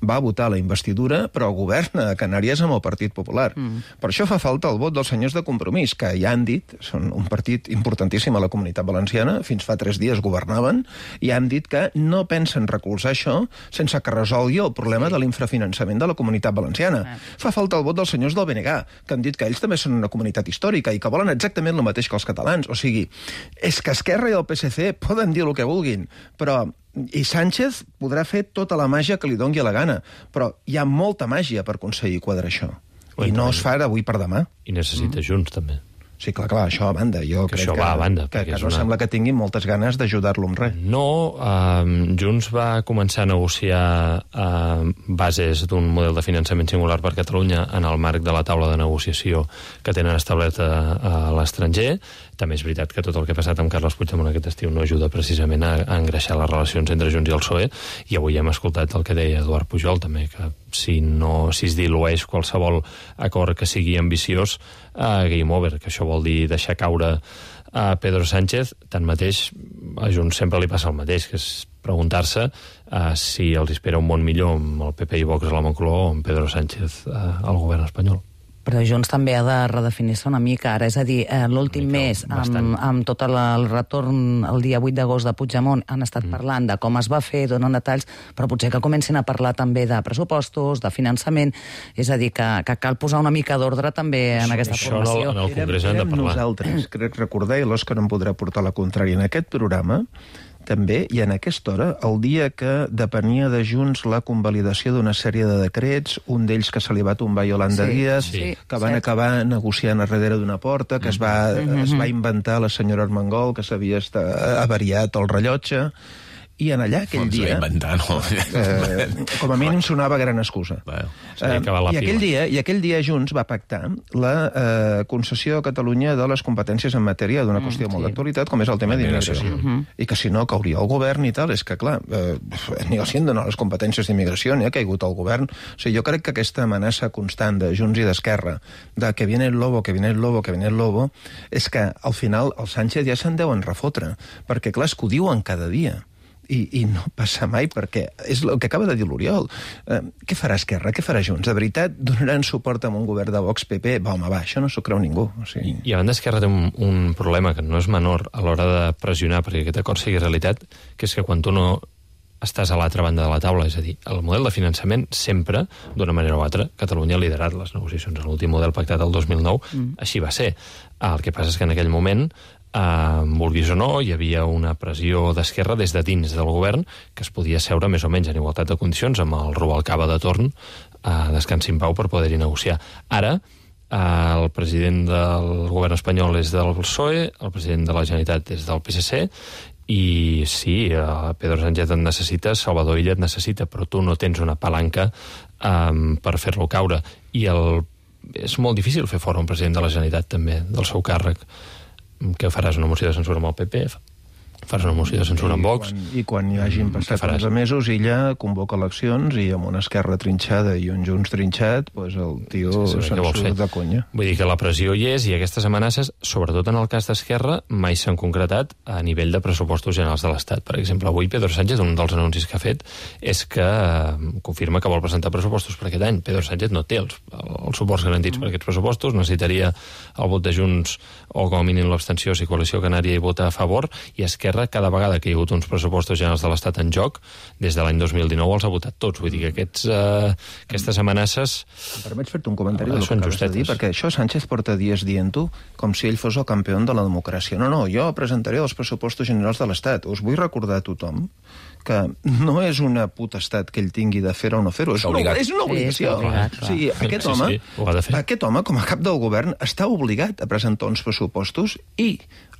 va votar la investidura, però governa a Canàries amb el Partit Popular. Per això fa falta el vot dels senyors de Compromís, que ja han dit, són un partit importantíssim a la Comunitat Valenciana, fins fa 3 dies governaven, i han dit que no pensen recolzar això sense que resolgui el problema de l'infrafinançament de la Comunitat Valenciana. Fa falta el vot dels senyors del BNG, que han dit que ells també són una comunitat històrica i que volen exactament el mateix que els catalans. O sigui, és que Esquerra i el PSC poden dir el que vulguin, però i Sánchez podrà fer tota la màgia que li doni la gana, però hi ha molta màgia per aconseguir quadrar això. I no es fa d'avui per demà. I necessita Junts, també. Sí, clar, això a banda. Jo crec això va a banda. Que no sembla que tinguin moltes ganes d'ajudar-lo amb res. No, Junts va començar a negociar bases d'un model de finançament singular per Catalunya en el marc de la taula de negociació que tenen establerta a l'estranger. També és veritat que tot el que ha passat amb Carles Puigdemont aquest estiu no ajuda precisament a engreixar les relacions entre Junts i el PSOE, i avui hem escoltat el que deia Eduard Pujol també, que si es dilueix qualsevol acord que sigui ambiciós, game over, que això vol dir deixar caure a Pedro Sánchez. Tanmateix, a Junts sempre li passa el mateix, que és preguntar-se si els espera un món millor amb el PP i Vox a la Moncloa o amb Pedro Sánchez al govern espanyol. Però Junts també ha de redefinir-se una mica ara, és a dir, l'últim mes, amb tot el retorn el dia 8 d'agost de Puigdemont, han estat parlant de com es va fer, donen detalls, però potser que comencin a parlar també de pressupostos, de finançament, és a dir, que cal posar una mica d'ordre també en aquesta formació. Això en el Congrés hem de parlar. Nosaltres, crec recordar, i l'Òscar em podrà portar la contrària, en aquest programa també, i en aquesta hora, el dia que depenia de Junts la convalidació d'una sèrie de decrets, un d'ells que se li va tombar Yolanda Díaz, que van acabar negociant a darrere d'una porta, que es va inventar la senyora Armengol, que s'havia avariat el rellotge, i en allà aquell dia... com a mínim sonava gran excusa. I aquell dia Junts va pactar la concessió a Catalunya de les competències en matèria d'una qüestió molt d'actualitat, com és el tema d'immigració. I que si no cauria el govern i tal, és que clar, ni els hi han donat les competències d'immigració, ni ha caigut el govern. O sigui, jo crec que aquesta amenaça constant de Junts i d'Esquerra, de que viene el lobo, que viene el lobo, que viene el lobo, és que al final el Sánchez ja se'n deuen refotre, perquè clar, és que ho diuen cada dia. I no passa mai, perquè és el que acaba de dir l'Oriol. Què farà Esquerra? Què farà Junts? De veritat, donaran suport a un govern de Vox-PP? Va, home, va, això no s'ho creu ningú. I a banda, Esquerra té un problema que no és menor a l'hora de pressionar perquè aquest acord sigui realitat, que és que quan tu no estàs a l'altra banda de la taula, és a dir, el model de finançament sempre, d'una manera o altra, Catalunya ha liderat les negociacions en l'últim model pactat el 2009, així va ser. El que passa és que en aquell moment vulguis o no, hi havia una pressió d'Esquerra des de dins del govern que es podia seure més o menys en igualtat de condicions amb el Rubalcaba de torn a descansar en pau per poder-hi negociar. Ara, el president del govern espanyol és del PSOE, el president de la Generalitat és del PSC, i sí, Pedro Sánchez et necessita, Salvador Illa et necessita, però tu no tens una palanca per fer-lo caure. I és molt difícil fer fora un president de la Generalitat també, del seu càrrec. Que faràs una moció de censura amb el PP, faràs una moció de censura amb Vox. I quan hi hagin passat 11 mesos, ella convoca eleccions i amb una Esquerra trinxada i un Junts trinxat, doncs el tio se'n surt de conya. Vull dir que la pressió hi és, i aquestes amenaces, sobretot en el cas d'Esquerra, mai s'han concretat a nivell de pressupostos generals de l'Estat. Per exemple, avui Pedro Sánchez, un dels anuncis que ha fet, és que confirma que vol presentar pressupostos per aquest any. Pedro Sánchez no té els suports garantits per aquests pressupostos, necessitaria el vot de Junts o com a mínim l'abstenció si Coalició Canària hi vota a favor, i Esquerra cada vegada que hi ha hagut uns pressupostos generals de l'Estat en joc, des de l'any 2019 els ha votat tots. Vull dir que aquestes amenaces... Em permets fer-te un comentari del que acabes de dir, perquè això Sánchez porta dies dient-ho com si ell fos el campió de la democràcia. No, jo presentaré els pressupostos generals de l'Estat. Us vull recordar a tothom que no és una potestat que ell tingui de fer o no fer-ho, és una obligació. O sigui, aquest home, com a cap del govern, està obligat a presentar uns pressupostos i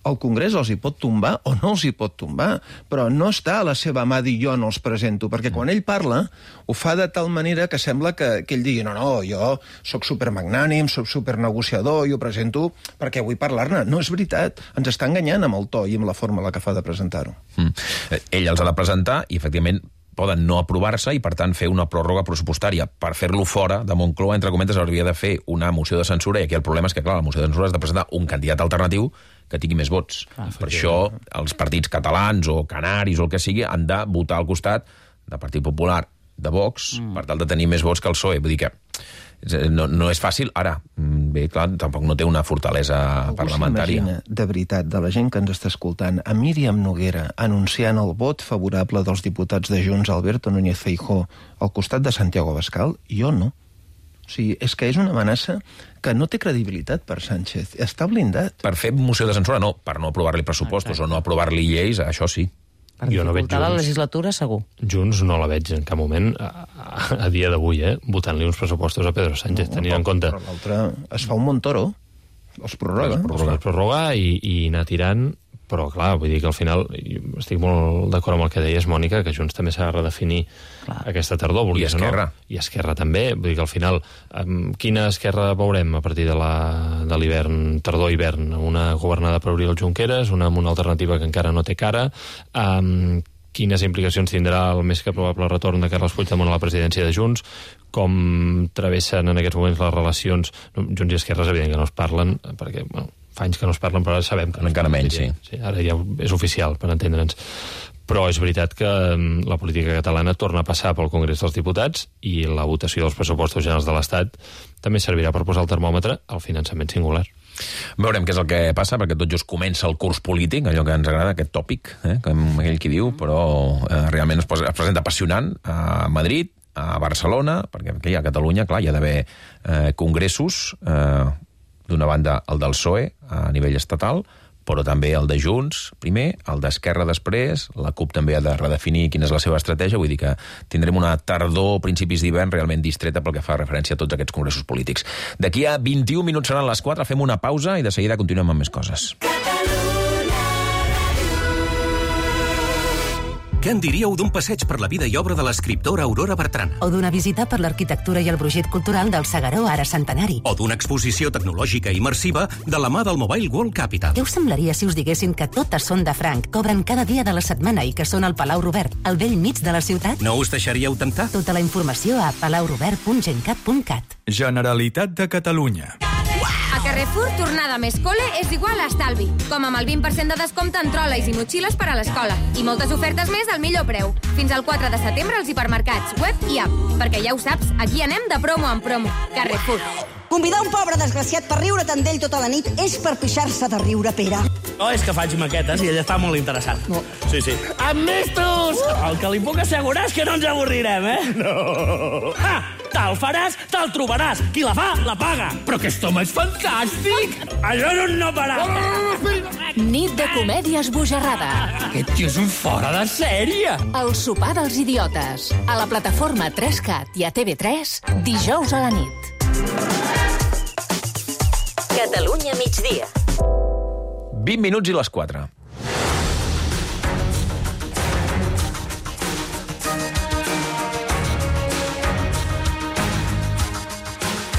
el Congrés els hi pot tombar o no els hi pot tombar, però no està a la seva mà dir jo no els presento, perquè quan ell parla ho fa de tal manera que sembla que ell digui no, jo sóc supermagnànim, sóc supernegociador, jo presento perquè vull parlar-ne. No és veritat, ens està enganyant amb el to i amb la forma en la que fa de presentar-ho. Ell els ha de presentar i, efectivament, poden no aprovar-se i, per tant, fer una pròrroga pressupostària. Per fer-lo fora de Moncloa, entre cometes, hauria de fer una moció de censura, i aquí el problema és que, clar, la moció de censura has de presentar un candidat alternatiu que tingui més vots. Per això els partits catalans o canaris o el que sigui han de votar al costat del Partit Popular, de Vox, per tal de tenir més vots que el PSOE. Vull dir que no és fàcil. Ara, bé, clar, tampoc no té una fortalesa parlamentària. Algú s'imagina, de veritat, de la gent que ens està escoltant, a Míriam Noguera anunciant el vot favorable dels diputats de Junts, Alberto Núñez Feijóo, al costat de Santiago Abascal? Jo no. O sigui, és que és una amenaça que no té credibilitat per Sánchez. Està blindat. Per fer moció de censura, no. Per no aprovar-li pressupostos o no aprovar-li lleis, això sí. Per dificultar la legislatura, segur. Junts no la veig en cap moment, a dia d'avui, votant-li uns pressupostos a Pedro Sánchez, tenint en compte... Però l'altre es fa un Montoro, els prorroga. Els prorroga i anar tirant, però clar, vull dir que al final estic molt d'acord amb el que deies, Mònica, que Junts també s'ha de redefinir aquesta tardor, I Esquerra. I Esquerra també, vull dir que al final quina Esquerra veurem a partir de l'hivern, tardor-hivern? Una governada per Oriol Junqueras, una amb una alternativa que encara no té cara, quines implicacions tindrà el més que probable retorn de Carles Puigdemont a la presidència de Junts, com travessen en aquests moments les relacions. Junts i Esquerra és evident que no es parlen, perquè fa anys que no es parlen, però ara sabem que... Encara menys, sí. Ara ja és oficial, per entendre'ns. Però és veritat que la política catalana torna a passar pel Congrés dels Diputats i la votació dels pressupostos generals de l'Estat també servirà per posar el termòmetre al finançament singular. Veurem què és el que passa, perquè tot just comença el curs polític, allò que ens agrada, aquest tòpic, com aquell qui diu, però realment es presenta apassionant a Madrid, a Barcelona, perquè aquí a Catalunya, clar, hi ha d'haver congressos, d'una banda el del PSOE a nivell estatal, però també el de Junts, primer, el d'Esquerra després, la CUP també ha de redefinir quina és la seva estratègia, vull dir que tindrem una tardor, principis d'hivern, realment distreta pel que fa referència a tots aquests congressos polítics. D'aquí a 21 minuts seran les 4, fem una pausa i de seguida continuem amb més coses. Què en diríeu d'un passeig per la vida i obra de l'escriptora Aurora Bertrana? O d'una visita per l'arquitectura i el brogit cultural del Segaró, ara centenari? O d'una exposició tecnològica immersiva de la mà del Mobile World Capital? Què us semblaria si us diguessin que totes són de franc, cobren cada dia de la setmana i que són al Palau Robert, al vell mig de la ciutat? No us deixaríeu tentar? Tota la informació a palaurobert.gencat.cat. Generalitat de Catalunya. A Carrefour, tornada més cole és igual a estalvi, com amb el 20% de descompte en trolleys i motxilles per a l'escola. I moltes ofertes més al millor preu. Fins al 4 de setembre als hipermercats, web i app. Perquè ja ho saps, aquí anem de promo en promo. Carrefour. Convidar un pobre desgraciat per riure tant d'ell tota la nit és per pixar-se de riure, Pere. No, és que faig maquetes i ell està molt interessat. No. Sí, sí. Amistos! El que li puc assegurar és que no ens avorrirem, No! Te'l faràs, te'l trobaràs. Qui la fa, la paga. Però aquest home és fantàstic! Això és un no parar. Nit de comèdia esbojarrada. Aquest tio és un fora de sèrie. El sopar dels idiotes. A la plataforma 3CAT i a TV3, dijous a la nit. Catalunya migdia. 20 minuts i les 4.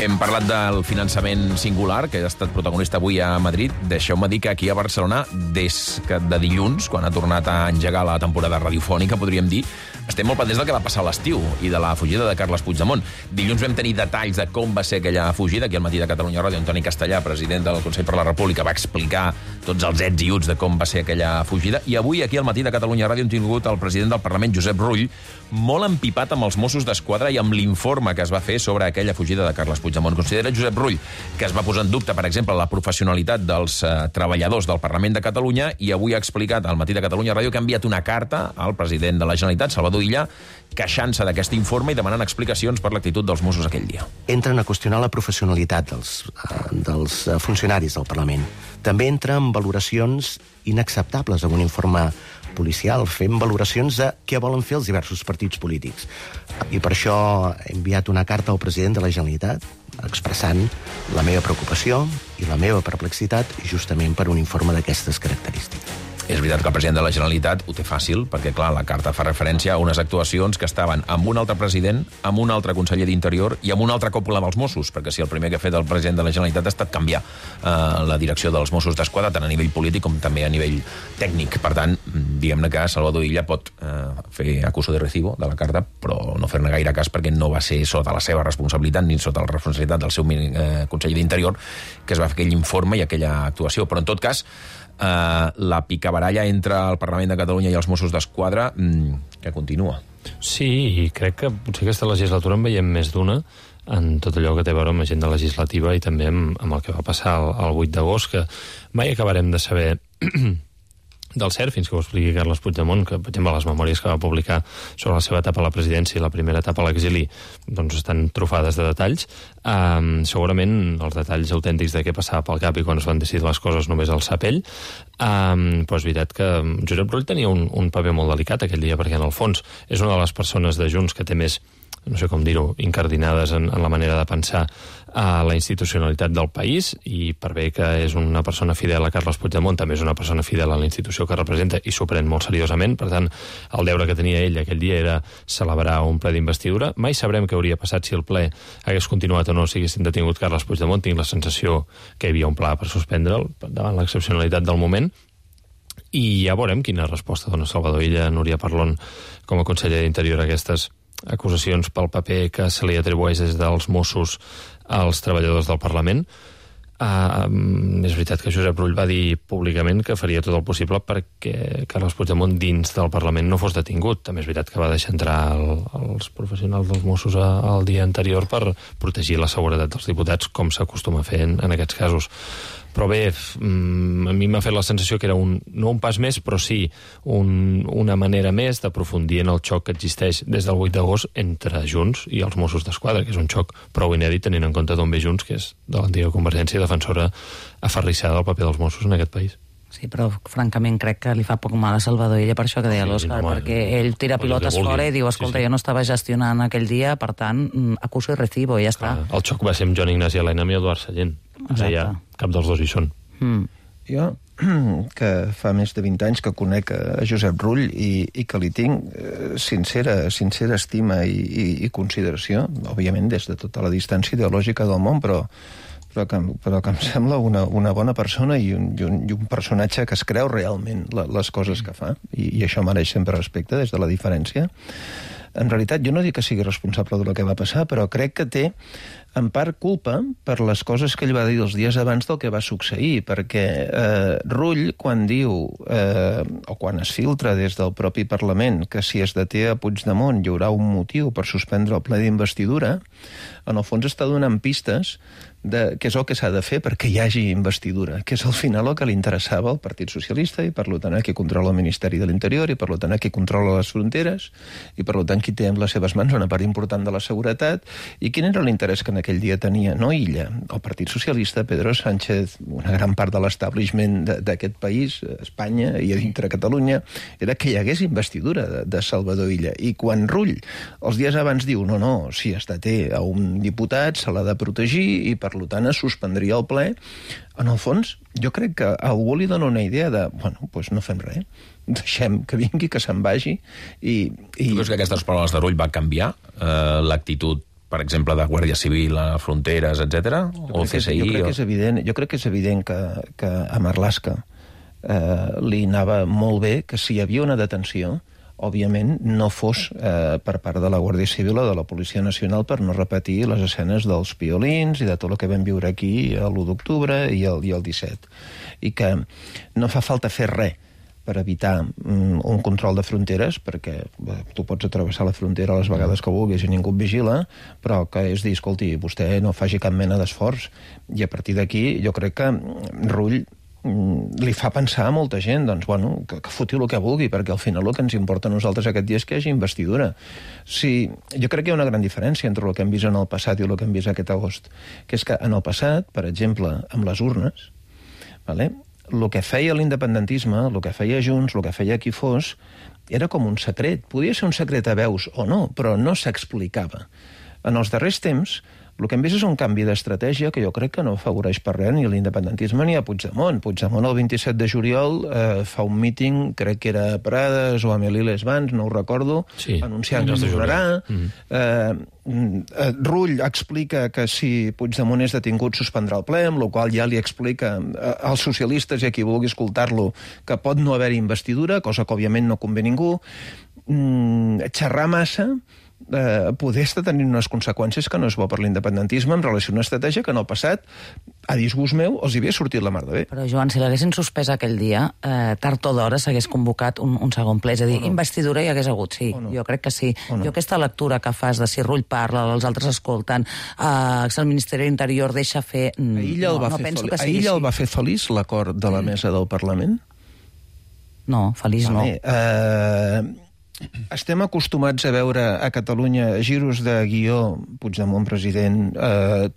Hem parlat del finançament singular, que ha estat protagonista avui a Madrid. Deixeu-me dir que aquí a Barcelona, des de dilluns, quan ha tornat a engegar la temporada radiofònica, podríem dir, estem molt pendents del que va passar a l'estiu i de la fugida de Carles Puigdemont. Dilluns vam tenir detalls de com va ser aquella fugida. Aquí al Matí de Catalunya Ràdio, Antoni Castellà, president del Consell per la República, va explicar tots els ets i uts de com va ser aquella fugida. I avui, aquí al Matí de Catalunya Ràdio, hem tingut el president del Parlament, Josep Rull, molt empipat amb els Mossos d'Esquadra i amb l'informe que es va fer sobre aquella fugida de Carles Puigdemont. Considera Josep Rull que es va posar en dubte, per exemple, la professionalitat dels treballadors del Parlament de Catalunya, i avui ha explicat al Matí de Catalunya Ràdio que ha enviat una carta al president de la Generalitat, Salvador Illa, queixant-se d'aquest informe i demanant explicacions per l'actitud dels Mossos aquell dia. Entren a qüestionar la professionalitat dels funcionaris del Parlament. També entra en valoracions inacceptables amb un informe policial, fent valoracions de què volen fer els diversos partits polítics. I per això he enviat una carta al president de la Generalitat expressant la meva preocupació i la meva perplexitat justament per un informe d'aquestes característiques. És veritat que el president de la Generalitat ho té fàcil, perquè, clar, la carta fa referència a unes actuacions que estaven amb un altre president, amb un altre conseller d'Interior i amb una altra cúpula dels Mossos, perquè si el primer que ha fet el president de la Generalitat ha estat canviar la direcció dels Mossos d'Esquadra, tant a nivell polític com també a nivell tècnic. Per tant, diguem-ne que Salvador Illa pot fer acuso de recibo de la carta, però no fer-ne gaire cas perquè no va ser sota la seva responsabilitat ni sota la responsabilitat del seu conseller d'Interior que es va fer aquell informe i aquella actuació. Però, en tot cas, la picabaralla entre el Parlament de Catalunya i els Mossos d'Esquadra que continua. Sí, i crec que potser aquesta legislatura en veiem més d'una en tot allò que té a veure amb l'agenda legislativa i també amb el que va passar el 8 d'agost, que mai acabarem de saber del cert fins que ho expliqui Carles Puigdemont, que, per exemple, les memòries que va publicar sobre la seva etapa a la presidència i la primera etapa a l'exili doncs estan trufades de detalls. Segurament els detalls autèntics de què passava pel cap i quan es van decidir les coses només al sapell, però és veritat que Josep Rull tenia un paper molt delicat aquell dia, perquè en el fons és una de les persones de Junts que té més, no sé com dir-ho, incardinades en la manera de pensar a la institucionalitat del país, i per bé que és una persona fidel a Carles Puigdemont, també és una persona fidel a la institució que representa i s'ho pren molt seriosament. Per tant, el deure que tenia ell aquell dia era celebrar un ple d'investidura. Mai sabrem què hauria passat si el ple hagués continuat o no, si haguessin detingut Carles Puigdemont. Tinc la sensació que hi havia un pla per suspendre'l davant l'excepcionalitat del moment. I ja veurem quina resposta dona Salvador Illa, Núria Parlon, com a conseller d'Interior, a aquestes acusacions pel paper que se li atribueix des dels Mossos als treballadors del Parlament. És veritat que Josep Rull va dir públicament que faria tot el possible perquè Carles Puigdemont dins del Parlament no fos detingut. També és veritat que va deixar entrar els professionals dels Mossos el dia anterior per protegir la seguretat dels diputats, com s'acostuma a fer en aquests casos. Però bé, a mi m'ha fet la sensació que era no un pas més, però sí una manera més d'aprofundir en el xoc que existeix des del 8 d'agost entre Junts i els Mossos d'Esquadra, que és un xoc prou inèdit tenint en compte d'on ve Junts, que és de l'antiga Convergència i defensora aferrissada del paper dels Mossos en aquest país. Sí, però francament crec que li fa poc mal a Salvador Illa per això que deia l'Òscar, perquè ell tira pilotes fora i diu, escolta, jo no estava gestionant aquell dia, per tant, acuso i recibo, i ja està. El xoc va ser amb Joan Ignasi Elena i Eduard Sallent. Ja cap dels dos hi són. Jo, que fa més de 20 anys que conec a Josep Rull i que li tinc sincera estima i consideració, òbviament des de tota la distància ideològica del món, però que em sembla una bona persona i un personatge que es creu realment les coses que fa, i això mereix sempre respecte des de la diferència. En realitat, jo no dic que sigui responsable del que va passar, però crec que té, en part, culpa per les coses que ell va dir els dies abans del que va succeir, perquè Rull, quan diu, o quan es filtra des del propi Parlament, que si es deté a Puigdemont hi haurà un motiu per suspendre el ple d'investidura, en el fons està donant pistes de què és el que s'ha de fer perquè hi hagi investidura, que és al final el que li interessava al Partit Socialista i per tant qui controla el Ministeri de l'Interior i per tant qui controla les fronteres i per tant qui té en les seves mans una part important de la seguretat. I quin era l'interès que en aquell dia tenia, no Illa, el Partit Socialista, Pedro Sánchez, una gran part de l'establishment d'aquest país, Espanya i a dintre Catalunya, era que hi hagués investidura de Salvador Illa. I quan Rull els dies abans diu no, si es deté a un diputat se l'ha de protegir i per tant es suspendria el ple, en el fons jo crec que a algú li dona una idea de, doncs no fem res, deixem que vingui, que se'n vagi i... Tu creus que aquestes paraules de Rull va canviar l'actitud, per exemple, de Guàrdia Civil a fronteres, etc. O CSI? Jo crec que és evident que a Marlaska li anava molt bé que si hi havia una detenció òbviament no fos per part de la Guàrdia Civil o de la Policia Nacional per no repetir les escenes dels piolins i de tot el que vam viure aquí l'1 d'octubre i el 17. I que no fa falta fer res per evitar un control de fronteres, perquè tu pots atravessar la frontera les vegades que vulguis i ningú et vigila, però que és dir, escolti, vostè no faci cap mena d'esforç. I a partir d'aquí jo crec que Rull li fa pensar a molta gent, doncs, que foti el que vulgui, perquè al final el que ens importa a nosaltres aquest dia és que hi hagi investidura. Jo crec que hi ha una gran diferència entre el que hem vist en el passat i el que hem vist aquest agost, que és que en el passat, per exemple, amb les urnes, el que feia l'independentisme, el que feia Junts, el que feia qui fos, era com un secret. Podia ser un secret a veus o no, però no s'explicava. En els darrers temps, el que hem vist és un canvi d'estratègia que jo crec que no afavoreix per res ni l'independentisme ni a Puigdemont. Puigdemont el 27 de juliol fa un míting, crec que era a Prades o a Melilles-Vans, no ho recordo, anunciant que tornarà. Rull explica que si Puigdemont és detingut suspendrà el ple, amb la qual ja li explica als socialistes i a qui vulgui escoltar-lo que pot no haver-hi investidura, cosa que òbviament no convé a ningú. Xerrar massa poder estar tenint unes conseqüències que no és bo per l'independentisme en relació a una estratègia que en el passat, a disgust meu, els havia sortit la mar de bé. Però, Joan, si l'haguessin suspès aquell dia, tard o d'hora s'hagués convocat un segon ple, és a dir, investidura hi hagués hagut, sí, jo crec que sí. Jo aquesta lectura que fas de si Rull parla, els altres escolten, si el Ministeri de l'Interior deixa fer... A Illa el va fer feliç l'acord de la mesa del Parlament? No, feliç no. Estem acostumats a veure a Catalunya giros de guió, Puigdemont president,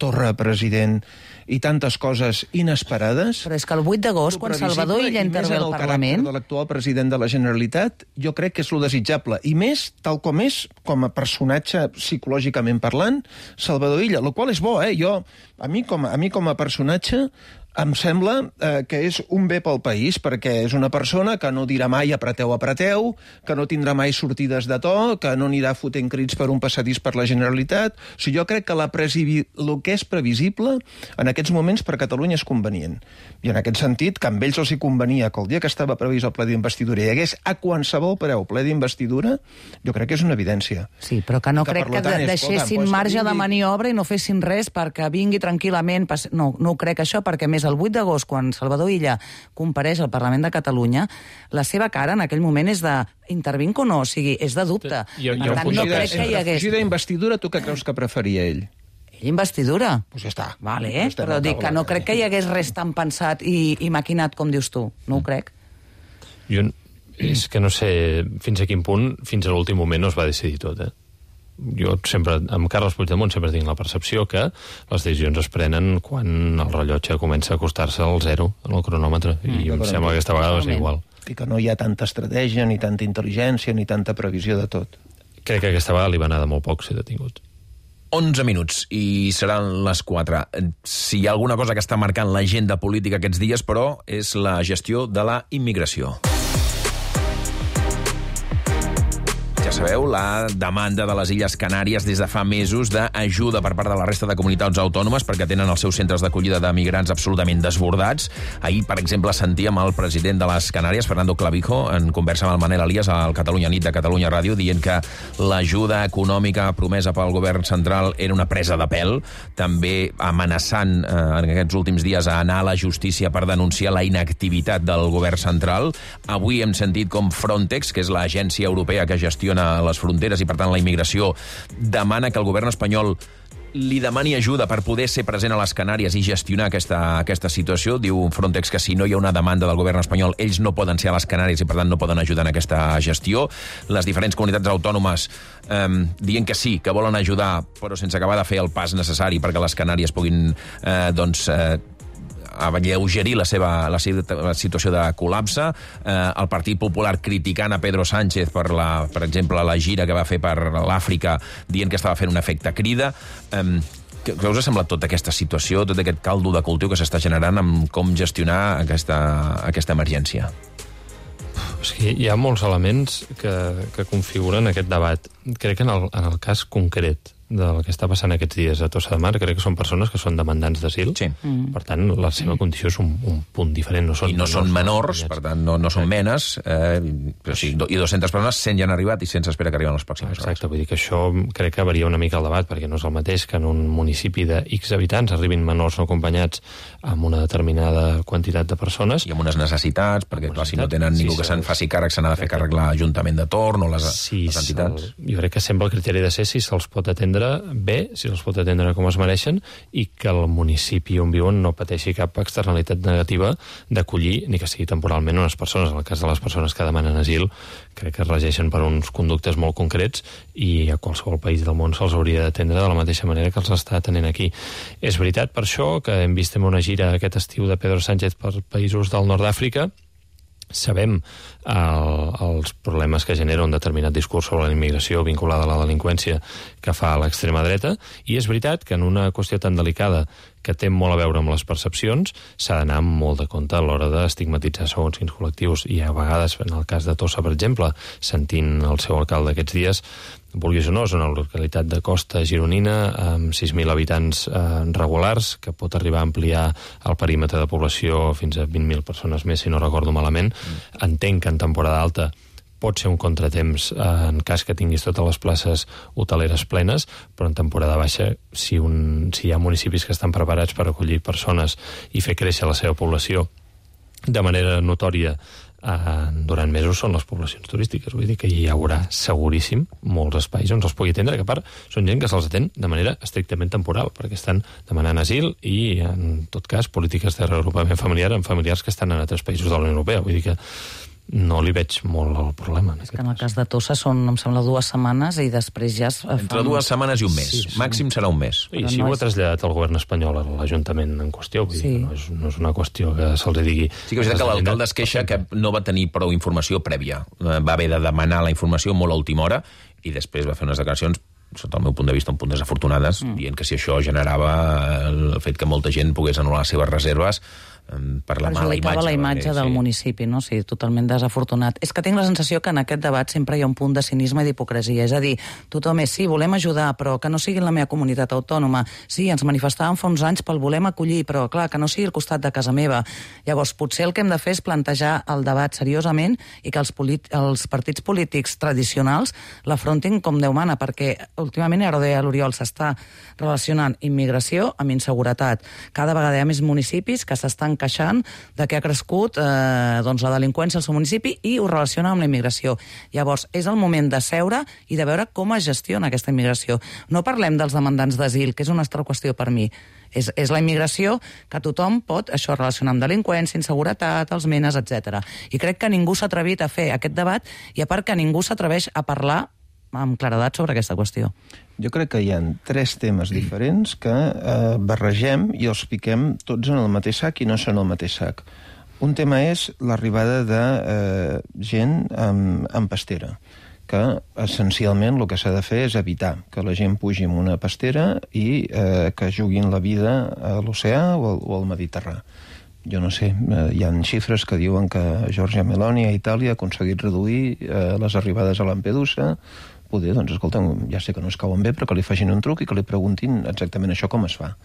Torra president, i tantes coses inesperades. Però és que el 8 d'agost, quan Salvador Illa intervé al Parlament... de l'actual president de la Generalitat, jo crec que és lo desitjable. I més, tal com és, com a personatge psicològicament parlant, Salvador Illa, el qual és bo, A mi com a personatge Em sembla que és un bé pel país, perquè és una persona que no dirà mai apreteu, que no tindrà mai sortides de to, que no anirà fotent crits per un passadís per la Generalitat. O sigui, jo crec que el que és previsible en aquests moments per Catalunya és convenient. I en aquest sentit, que amb ells els hi convenia que el dia que estava previst el ple d'investidura hi hagués a qualsevol preu ple d'investidura, jo crec que és una evidència. Sí, però que no crec que deixessin marge de maniobra i no fessin res perquè vingui tranquil·lament. No ho crec això, perquè més el 8 d'agost, quan Salvador Illa compareix al Parlament de Catalunya, la seva cara en aquell moment és de intervinc o no, o sigui, és de dubte. Per tant, no crec que hi hagués... Fugida d'investidura, tu què creus que preferia ell? Investidura? Doncs ja està. Vale, però dic que no crec que hi hagués res tan pensat i maquinat com dius tu. No ho crec. Jo és que no sé fins a quin punt, fins a l'últim moment no es va decidir tot, Jo sempre, amb Carles Puigdemont, sempre tinc la percepció que les decisions es prenen quan el rellotge comença a acostar-se al 0 en el cronòmetre, i em sembla que aquesta vegada va ser igual. I que no hi ha tanta estratègia, ni tanta intel·ligència, ni tanta previsió de tot. Crec que aquesta vegada li va anar de molt poc ser detingut. 11 minuts i seran les 4. Si hi ha alguna cosa que està marcant l'agenda política aquests dies, però, és la gestió de la immigració. Ja sabeu, la demanda de les Illes Canàries des de fa mesos d'ajuda per part de la resta de comunitats autònomes perquè tenen els seus centres d'acollida de migrants absolutament desbordats. Ahir, per exemple, sentíem el president de les Canàries, Fernando Clavijo, en conversa amb el Manel Elias al Catalunya Nit de Catalunya Ràdio, dient que l'ajuda econòmica promesa pel govern central era una presa de pèl, també amenaçant en aquests últims dies a anar a la justícia per denunciar la inactivitat del govern central. Avui hem sentit com Frontex, que és l'agència europea que gestiona les fronteres i, per tant, la immigració, demana que el govern espanyol li demani ajuda per poder ser present a les Canàries i gestionar aquesta situació. Diu Frontex que si no hi ha una demanda del govern espanyol, ells no poden ser a les Canàries i, per tant, no poden ajudar en aquesta gestió. Les diferents comunitats autònomes dient que sí, que volen ajudar, però sense acabar de fer el pas necessari perquè les Canàries puguin, alleugerir la situació de col·lapse. El Partit Popular criticant a Pedro Sánchez per exemple, la gira que va fer per l'Àfrica, dient que estava fent un efecte crida. Què us ha semblat tota aquesta situació, tot aquest caldo de cultiu que s'està generant amb com gestionar aquesta emergència? És que hi ha molts elements que configuren aquest debat. Crec que en el cas concret del que està passant aquests dies a Tossa de Mar, crec que són persones que són demandants d'asil. Sí. Per tant, la seva condició és un punt diferent. No són I no són menors, per tant, no són menes, però sí, i 200 persones, 100 ja han arribat i 100 s'espera que arriben les pròximes hores. Exacte, vull dir que això crec que varia una mica el debat, perquè no és el mateix que en un municipi de X habitants arribin menors no acompanyats amb una determinada quantitat de persones. I amb unes necessitats, perquè clar, si no tenen ningú que se'n faci càrrec, se n'ha de fer càrrec l'Ajuntament de torn o les entitats. Jo crec que sempre el criteri de ser si se'ls pot atendre bé, si se'ls pot atendre com es mereixen, i que el municipi on viuen no pateixi cap externalitat negativa d'acollir, ni que sigui temporalment, unes persones. En el cas de les persones que demanen asil, crec que es regeixen per uns conductes molt concrets i a qualsevol país del món se'ls hauria d'atendre de la mateixa manera que els està atenent aquí. És veritat, per això, que hem vist en una gira aquest estiu de Pedro Sánchez per països del nord d'Àfrica. Sabem els problemes que genera un determinat discurs sobre la immigració vinculada a la delinqüència que fa l'extrema dreta, i és veritat que en una qüestió tan delicada que té molt a veure amb les percepcions s'ha d'anar amb molt de compte a l'hora d'estigmatitzar segons quins col·lectius, i a vegades, en el cas de Tossa, per exemple, sentint el seu alcalde aquests dies, vulguis o no, és una localitat de costa gironina amb 6.000 habitants regulars, que pot arribar a ampliar el perímetre de població fins a 20.000 persones més, si no recordo malament. Entenc que en temporada alta pot ser un contratemps en cas que tinguis totes les places hoteleres plenes, però en temporada baixa, si hi ha municipis que estan preparats per acollir persones i fer créixer la seva població de manera notòria durant mesos, són les poblacions turístiques. Vull dir que hi haurà seguríssim molts espais on se'ls pugui atendre, que a part són gent que se'ls atén de manera estrictament temporal, perquè estan demanant asil i, en tot cas, polítiques de reagrupament familiar amb familiars que estan en altres països de la Unió Europea. Vull dir que no li veig molt el problema. És que en el cas de Tossa són, em sembla, 2 setmanes i després ja... Entre 2 setmanes i un mes. Sí, màxim serà un mes. I si ho ha traslladat el govern espanyol a l'Ajuntament en qüestió, vull dir que no és una qüestió que se'ls digui... Sí que és que l'alcalde es queixa que no va tenir prou informació prèvia. Va haver de demanar la informació molt a última hora i després va fer unes declaracions sota el meu punt de vista, un punt desafortunades, dient que si això generava el fet que molta gent pogués anul·lar les seves reserves per la mala imatge. La imatge del municipi, no? Sí, totalment desafortunat. És que tinc la sensació que en aquest debat sempre hi ha un punt de cinisme i d'hipocresia. És a dir, tothom és, sí, volem ajudar, però que no sigui en la meva comunitat autònoma. Sí, ens manifestàvem fa uns anys pel volem acollir, però, clar, que no sigui al costat de casa meva. Llavors, potser el que hem de fer és plantejar el debat seriosament i que els partits polítics tradicionals l'afrontin com Déu mana, perquè últimament, ara ho deia l'Oriol, s'està relacionant immigració amb inseguretat. Cada vegada hi ha més municipis que s'estan queixant de que ha crescut la delinqüència al seu municipi i ho relaciona amb la immigració. Llavors, és el moment de seure i de veure com es gestiona aquesta immigració. No parlem dels demandants d'asil, que és una altra qüestió per mi. És la immigració que tothom pot això relacionar amb delinqüència, inseguretat, els menes, etc. I crec que ningú s'ha atrevit a fer aquest debat i a part que ningú s'atreveix a parlar amb claredat sobre aquesta qüestió. Jo crec que hi ha 3 temes diferents que barregem i els fiquem tots en el mateix sac i no són el mateix sac. Un tema és l'arribada de gent amb pastera, que essencialment el que s'ha de fer és evitar que la gent pugi en una pastera i que juguin la vida a l'oceà o al Mediterrani. Jo no sé, hi ha xifres que diuen que Giorgia Meloni a Itàlia ha aconseguit reduir les arribades a Lampedusa. Poder, doncs, escolta, ja sé que no es cauen bé, però que li facin un truc i que li preguntin exactament això com es fa.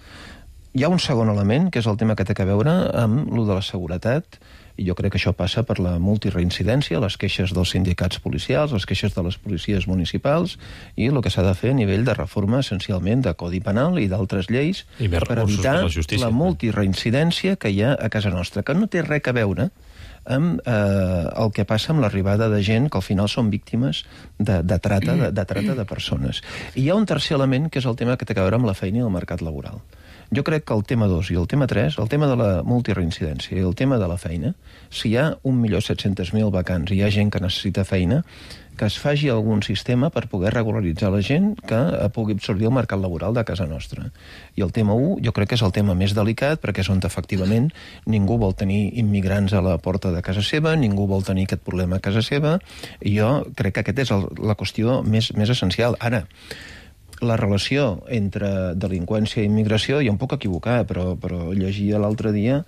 Hi ha un segon element, que és el tema que té a veure amb lo de la seguretat, i jo crec que això passa per la multireincidència, les queixes dels sindicats policials, les queixes de les policies municipals, i el que s'ha de fer a nivell de reforma, essencialment, de Codi Penal i d'altres lleis, per evitar la multireincidència que hi ha a casa nostra, que no té res a veure amb el que passa amb l'arribada de gent que al final són víctimes de trata de persones. I hi ha un tercer element, que és el tema que té a veure amb la feina i el mercat laboral. Jo crec que el tema 2 i el tema 3, el tema de la multireincidència i el tema de la feina, si hi ha 1.700.000 vacants i hi ha gent que necessita feina, que es faci algun sistema per poder regularitzar la gent que pugui absorbir el mercat laboral de casa nostra. I el tema 1 jo crec que és el tema més delicat, perquè és on efectivament ningú vol tenir immigrants a la porta de casa seva, ningú vol tenir aquest problema a casa seva, i jo crec que aquesta és la qüestió més essencial. Ara, la relació entre delinqüència i immigració, jo em puc equivocar, però llegia l'altre dia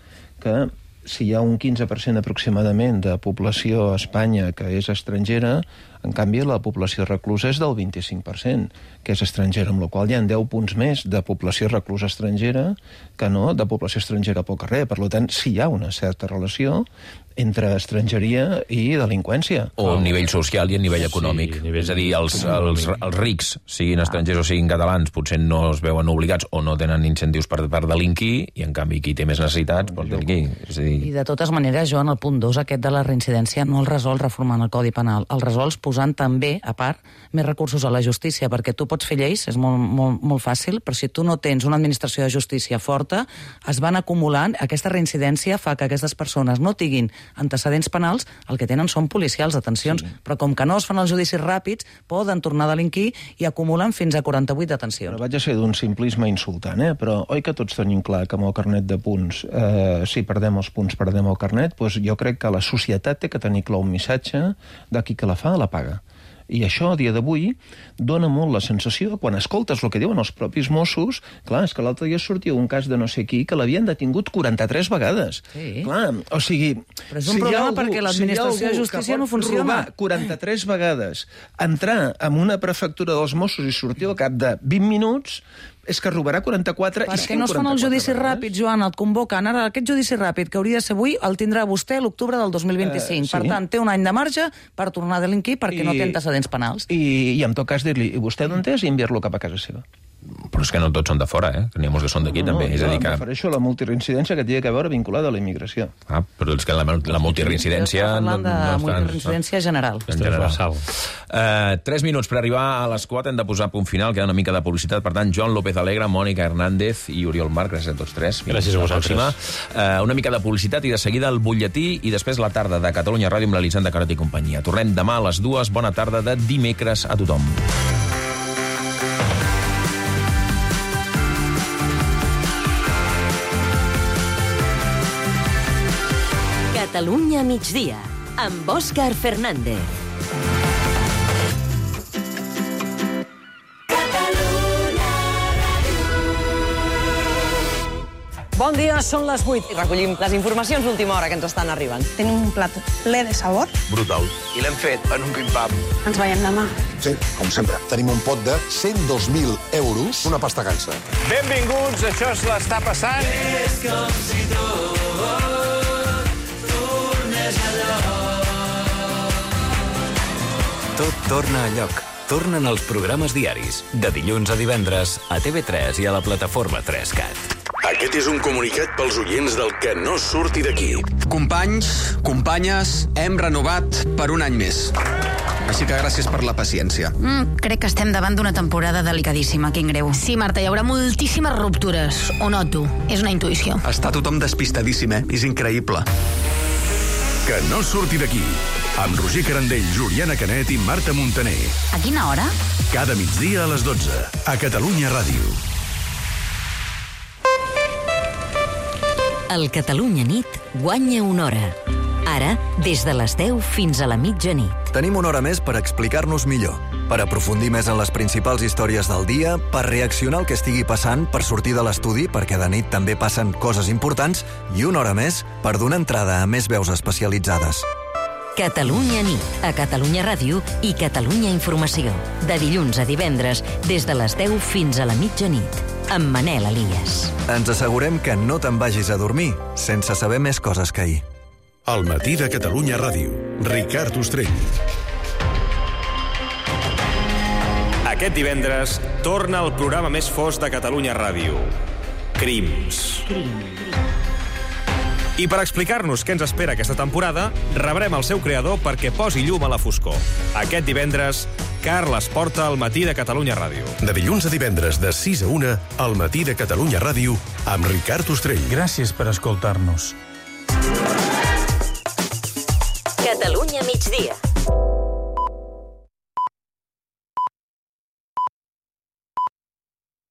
que si hi ha un 15% aproximadament de població a Espanya que és estrangera, en canvi la població reclusa és del 25%, que és estrangera, amb la qual hi ha 10 punts més de població reclusa estrangera que no de població estrangera pel carrer. Per tant, sí hi ha una certa relació entre estrangeria i delinqüència. O a nivell social i a nivell econòmic. Sí, és a dir, els rics, siguin estrangers o siguin catalans, potser no es veuen obligats o no tenen incentius per delinquir, i en canvi qui té més necessitats pot delinquir. I de totes maneres, Joan, el punt 2, aquest de la reincidència, no el resol reformant el Codi Penal, el resols posant també, a part, més recursos a la justícia, perquè tu pots fer lleis, és molt fàcil, però si tu no tens una administració de justícia forta, es van acumulant, aquesta reincidència fa que aquestes persones no tinguin antecedents penals, el que tenen són policials, detencions, però com que no es fan els judicis ràpids, poden tornar a delinquir i acumulen fins a 48 detencions. Però vaig a ser d'un simplisme insultant, però oi que tots tenim clar que amb el carnet de punts, si perdem els punts, perdem el carnet, doncs jo crec que la societat té que tenir clar un missatge de qui que la fa, la paga. I això, a dia d'avui, dona molt la sensació, quan escoltes el que diuen els propis Mossos, clar, és que l'altre dia sortia un cas de no sé qui que l'havien detingut 43 vegades. Sí. Clar, o sigui... Però és un problema perquè l'administració de justícia no funciona. Robar 43 vegades, entrar en una prefectura dels Mossos i sortir al cap de 20 minuts, és que robarà 44 i 144. Perquè no es fan els judicis ràpids, Joan, et convoquen. Ara, aquest judici ràpid que hauria de ser avui el tindrà vostè l'octubre del 2025. Sí. Per tant, té un any de marge per tornar a delinquir perquè no té antecedents penals. I en tot cas dir-li, i vostè d'on és, i enviar-lo cap a casa seva. Però és que no tots són de fora, que n'hi ha molts que són d'aquí, també. És a dir que... Em refereixo a la multireincidència que té a veure vinculada a la immigració. Però és que la multireincidència... Estem parlant de multireincidència general. En general. 3 minuts per arribar a les 4, hem de posar punt final, queda una mica de publicitat. Per tant, Joan López Alegre, Mònica Hernández i Oriol Marc, gràcies a tots tres. Gràcies a vosaltres. Una mica de publicitat i de seguida el butlletí i després la tarda de Catalunya Ràdio amb l'Elisenda Carat i companyia. Tornem demà a les 2. Bona tarda de dimecres a tothom. Catalunya migdia, amb Òscar Fernández. Bon dia, són les 8 i recollim les informacions d'última hora que ens estan arribant. Tenim un plat ple de sabor. Brutal. I l'hem fet en un pim-pam. Ens veiem demà. Sí, com sempre. Tenim un pot de 102.000 euros, una pasta gansa. Benvinguts, això és l'Està passant. És com si tot tornés a lloc. Tot torna a lloc. Tornen els programes diaris, de dilluns a divendres, a TV3 i a la plataforma 3CAT. Aquest és un comunicat pels oients del Que no surti d'aquí. Companys, companyes, hem renovat per un any més. Així que gràcies per la paciència. Crec que estem davant d'una temporada delicadíssima, quin greu. Sí, Marta, hi haurà moltíssimes ruptures. Ho noto. És una intuïció. Està tothom despistadíssim, És increïble. Que no surti d'aquí. Amb Roger Carandell, Juliana Canet i Marta Montaner. A quina hora? Cada migdia a les 12, a Catalunya Ràdio. El Catalunya Nit guanya una hora. Ara, des de les 10 fins a la mitjanit. Tenim una hora més per explicar-nos millor, per aprofundir més en les principals històries del dia, per reaccionar al que estigui passant, per sortir de l'estudi, perquè de nit també passen coses importants, i una hora més per donar entrada a més veus especialitzades. Catalunya Nit, a Catalunya Ràdio i Catalunya Informació. De dilluns a divendres, des de les 10 fins a la mitjanit. Amb Manel Elias. Ens assegurem que no te'n vagis a dormir sense saber més coses que ahir. Al matí de Catalunya Ràdio. Ricard Ostrell. Aquest divendres torna el programa més fosc de Catalunya Ràdio. Crims. I per explicar-nos què ens espera aquesta temporada, rebrem el seu creador perquè posi llum a la foscor. Aquest divendres, Carles Porta al matí de Catalunya Ràdio. De dilluns a divendres, de 6 a 1, al matí de Catalunya Ràdio, amb Ricard Ostrell. Gràcies per escoltar-nos. Catalunya migdia.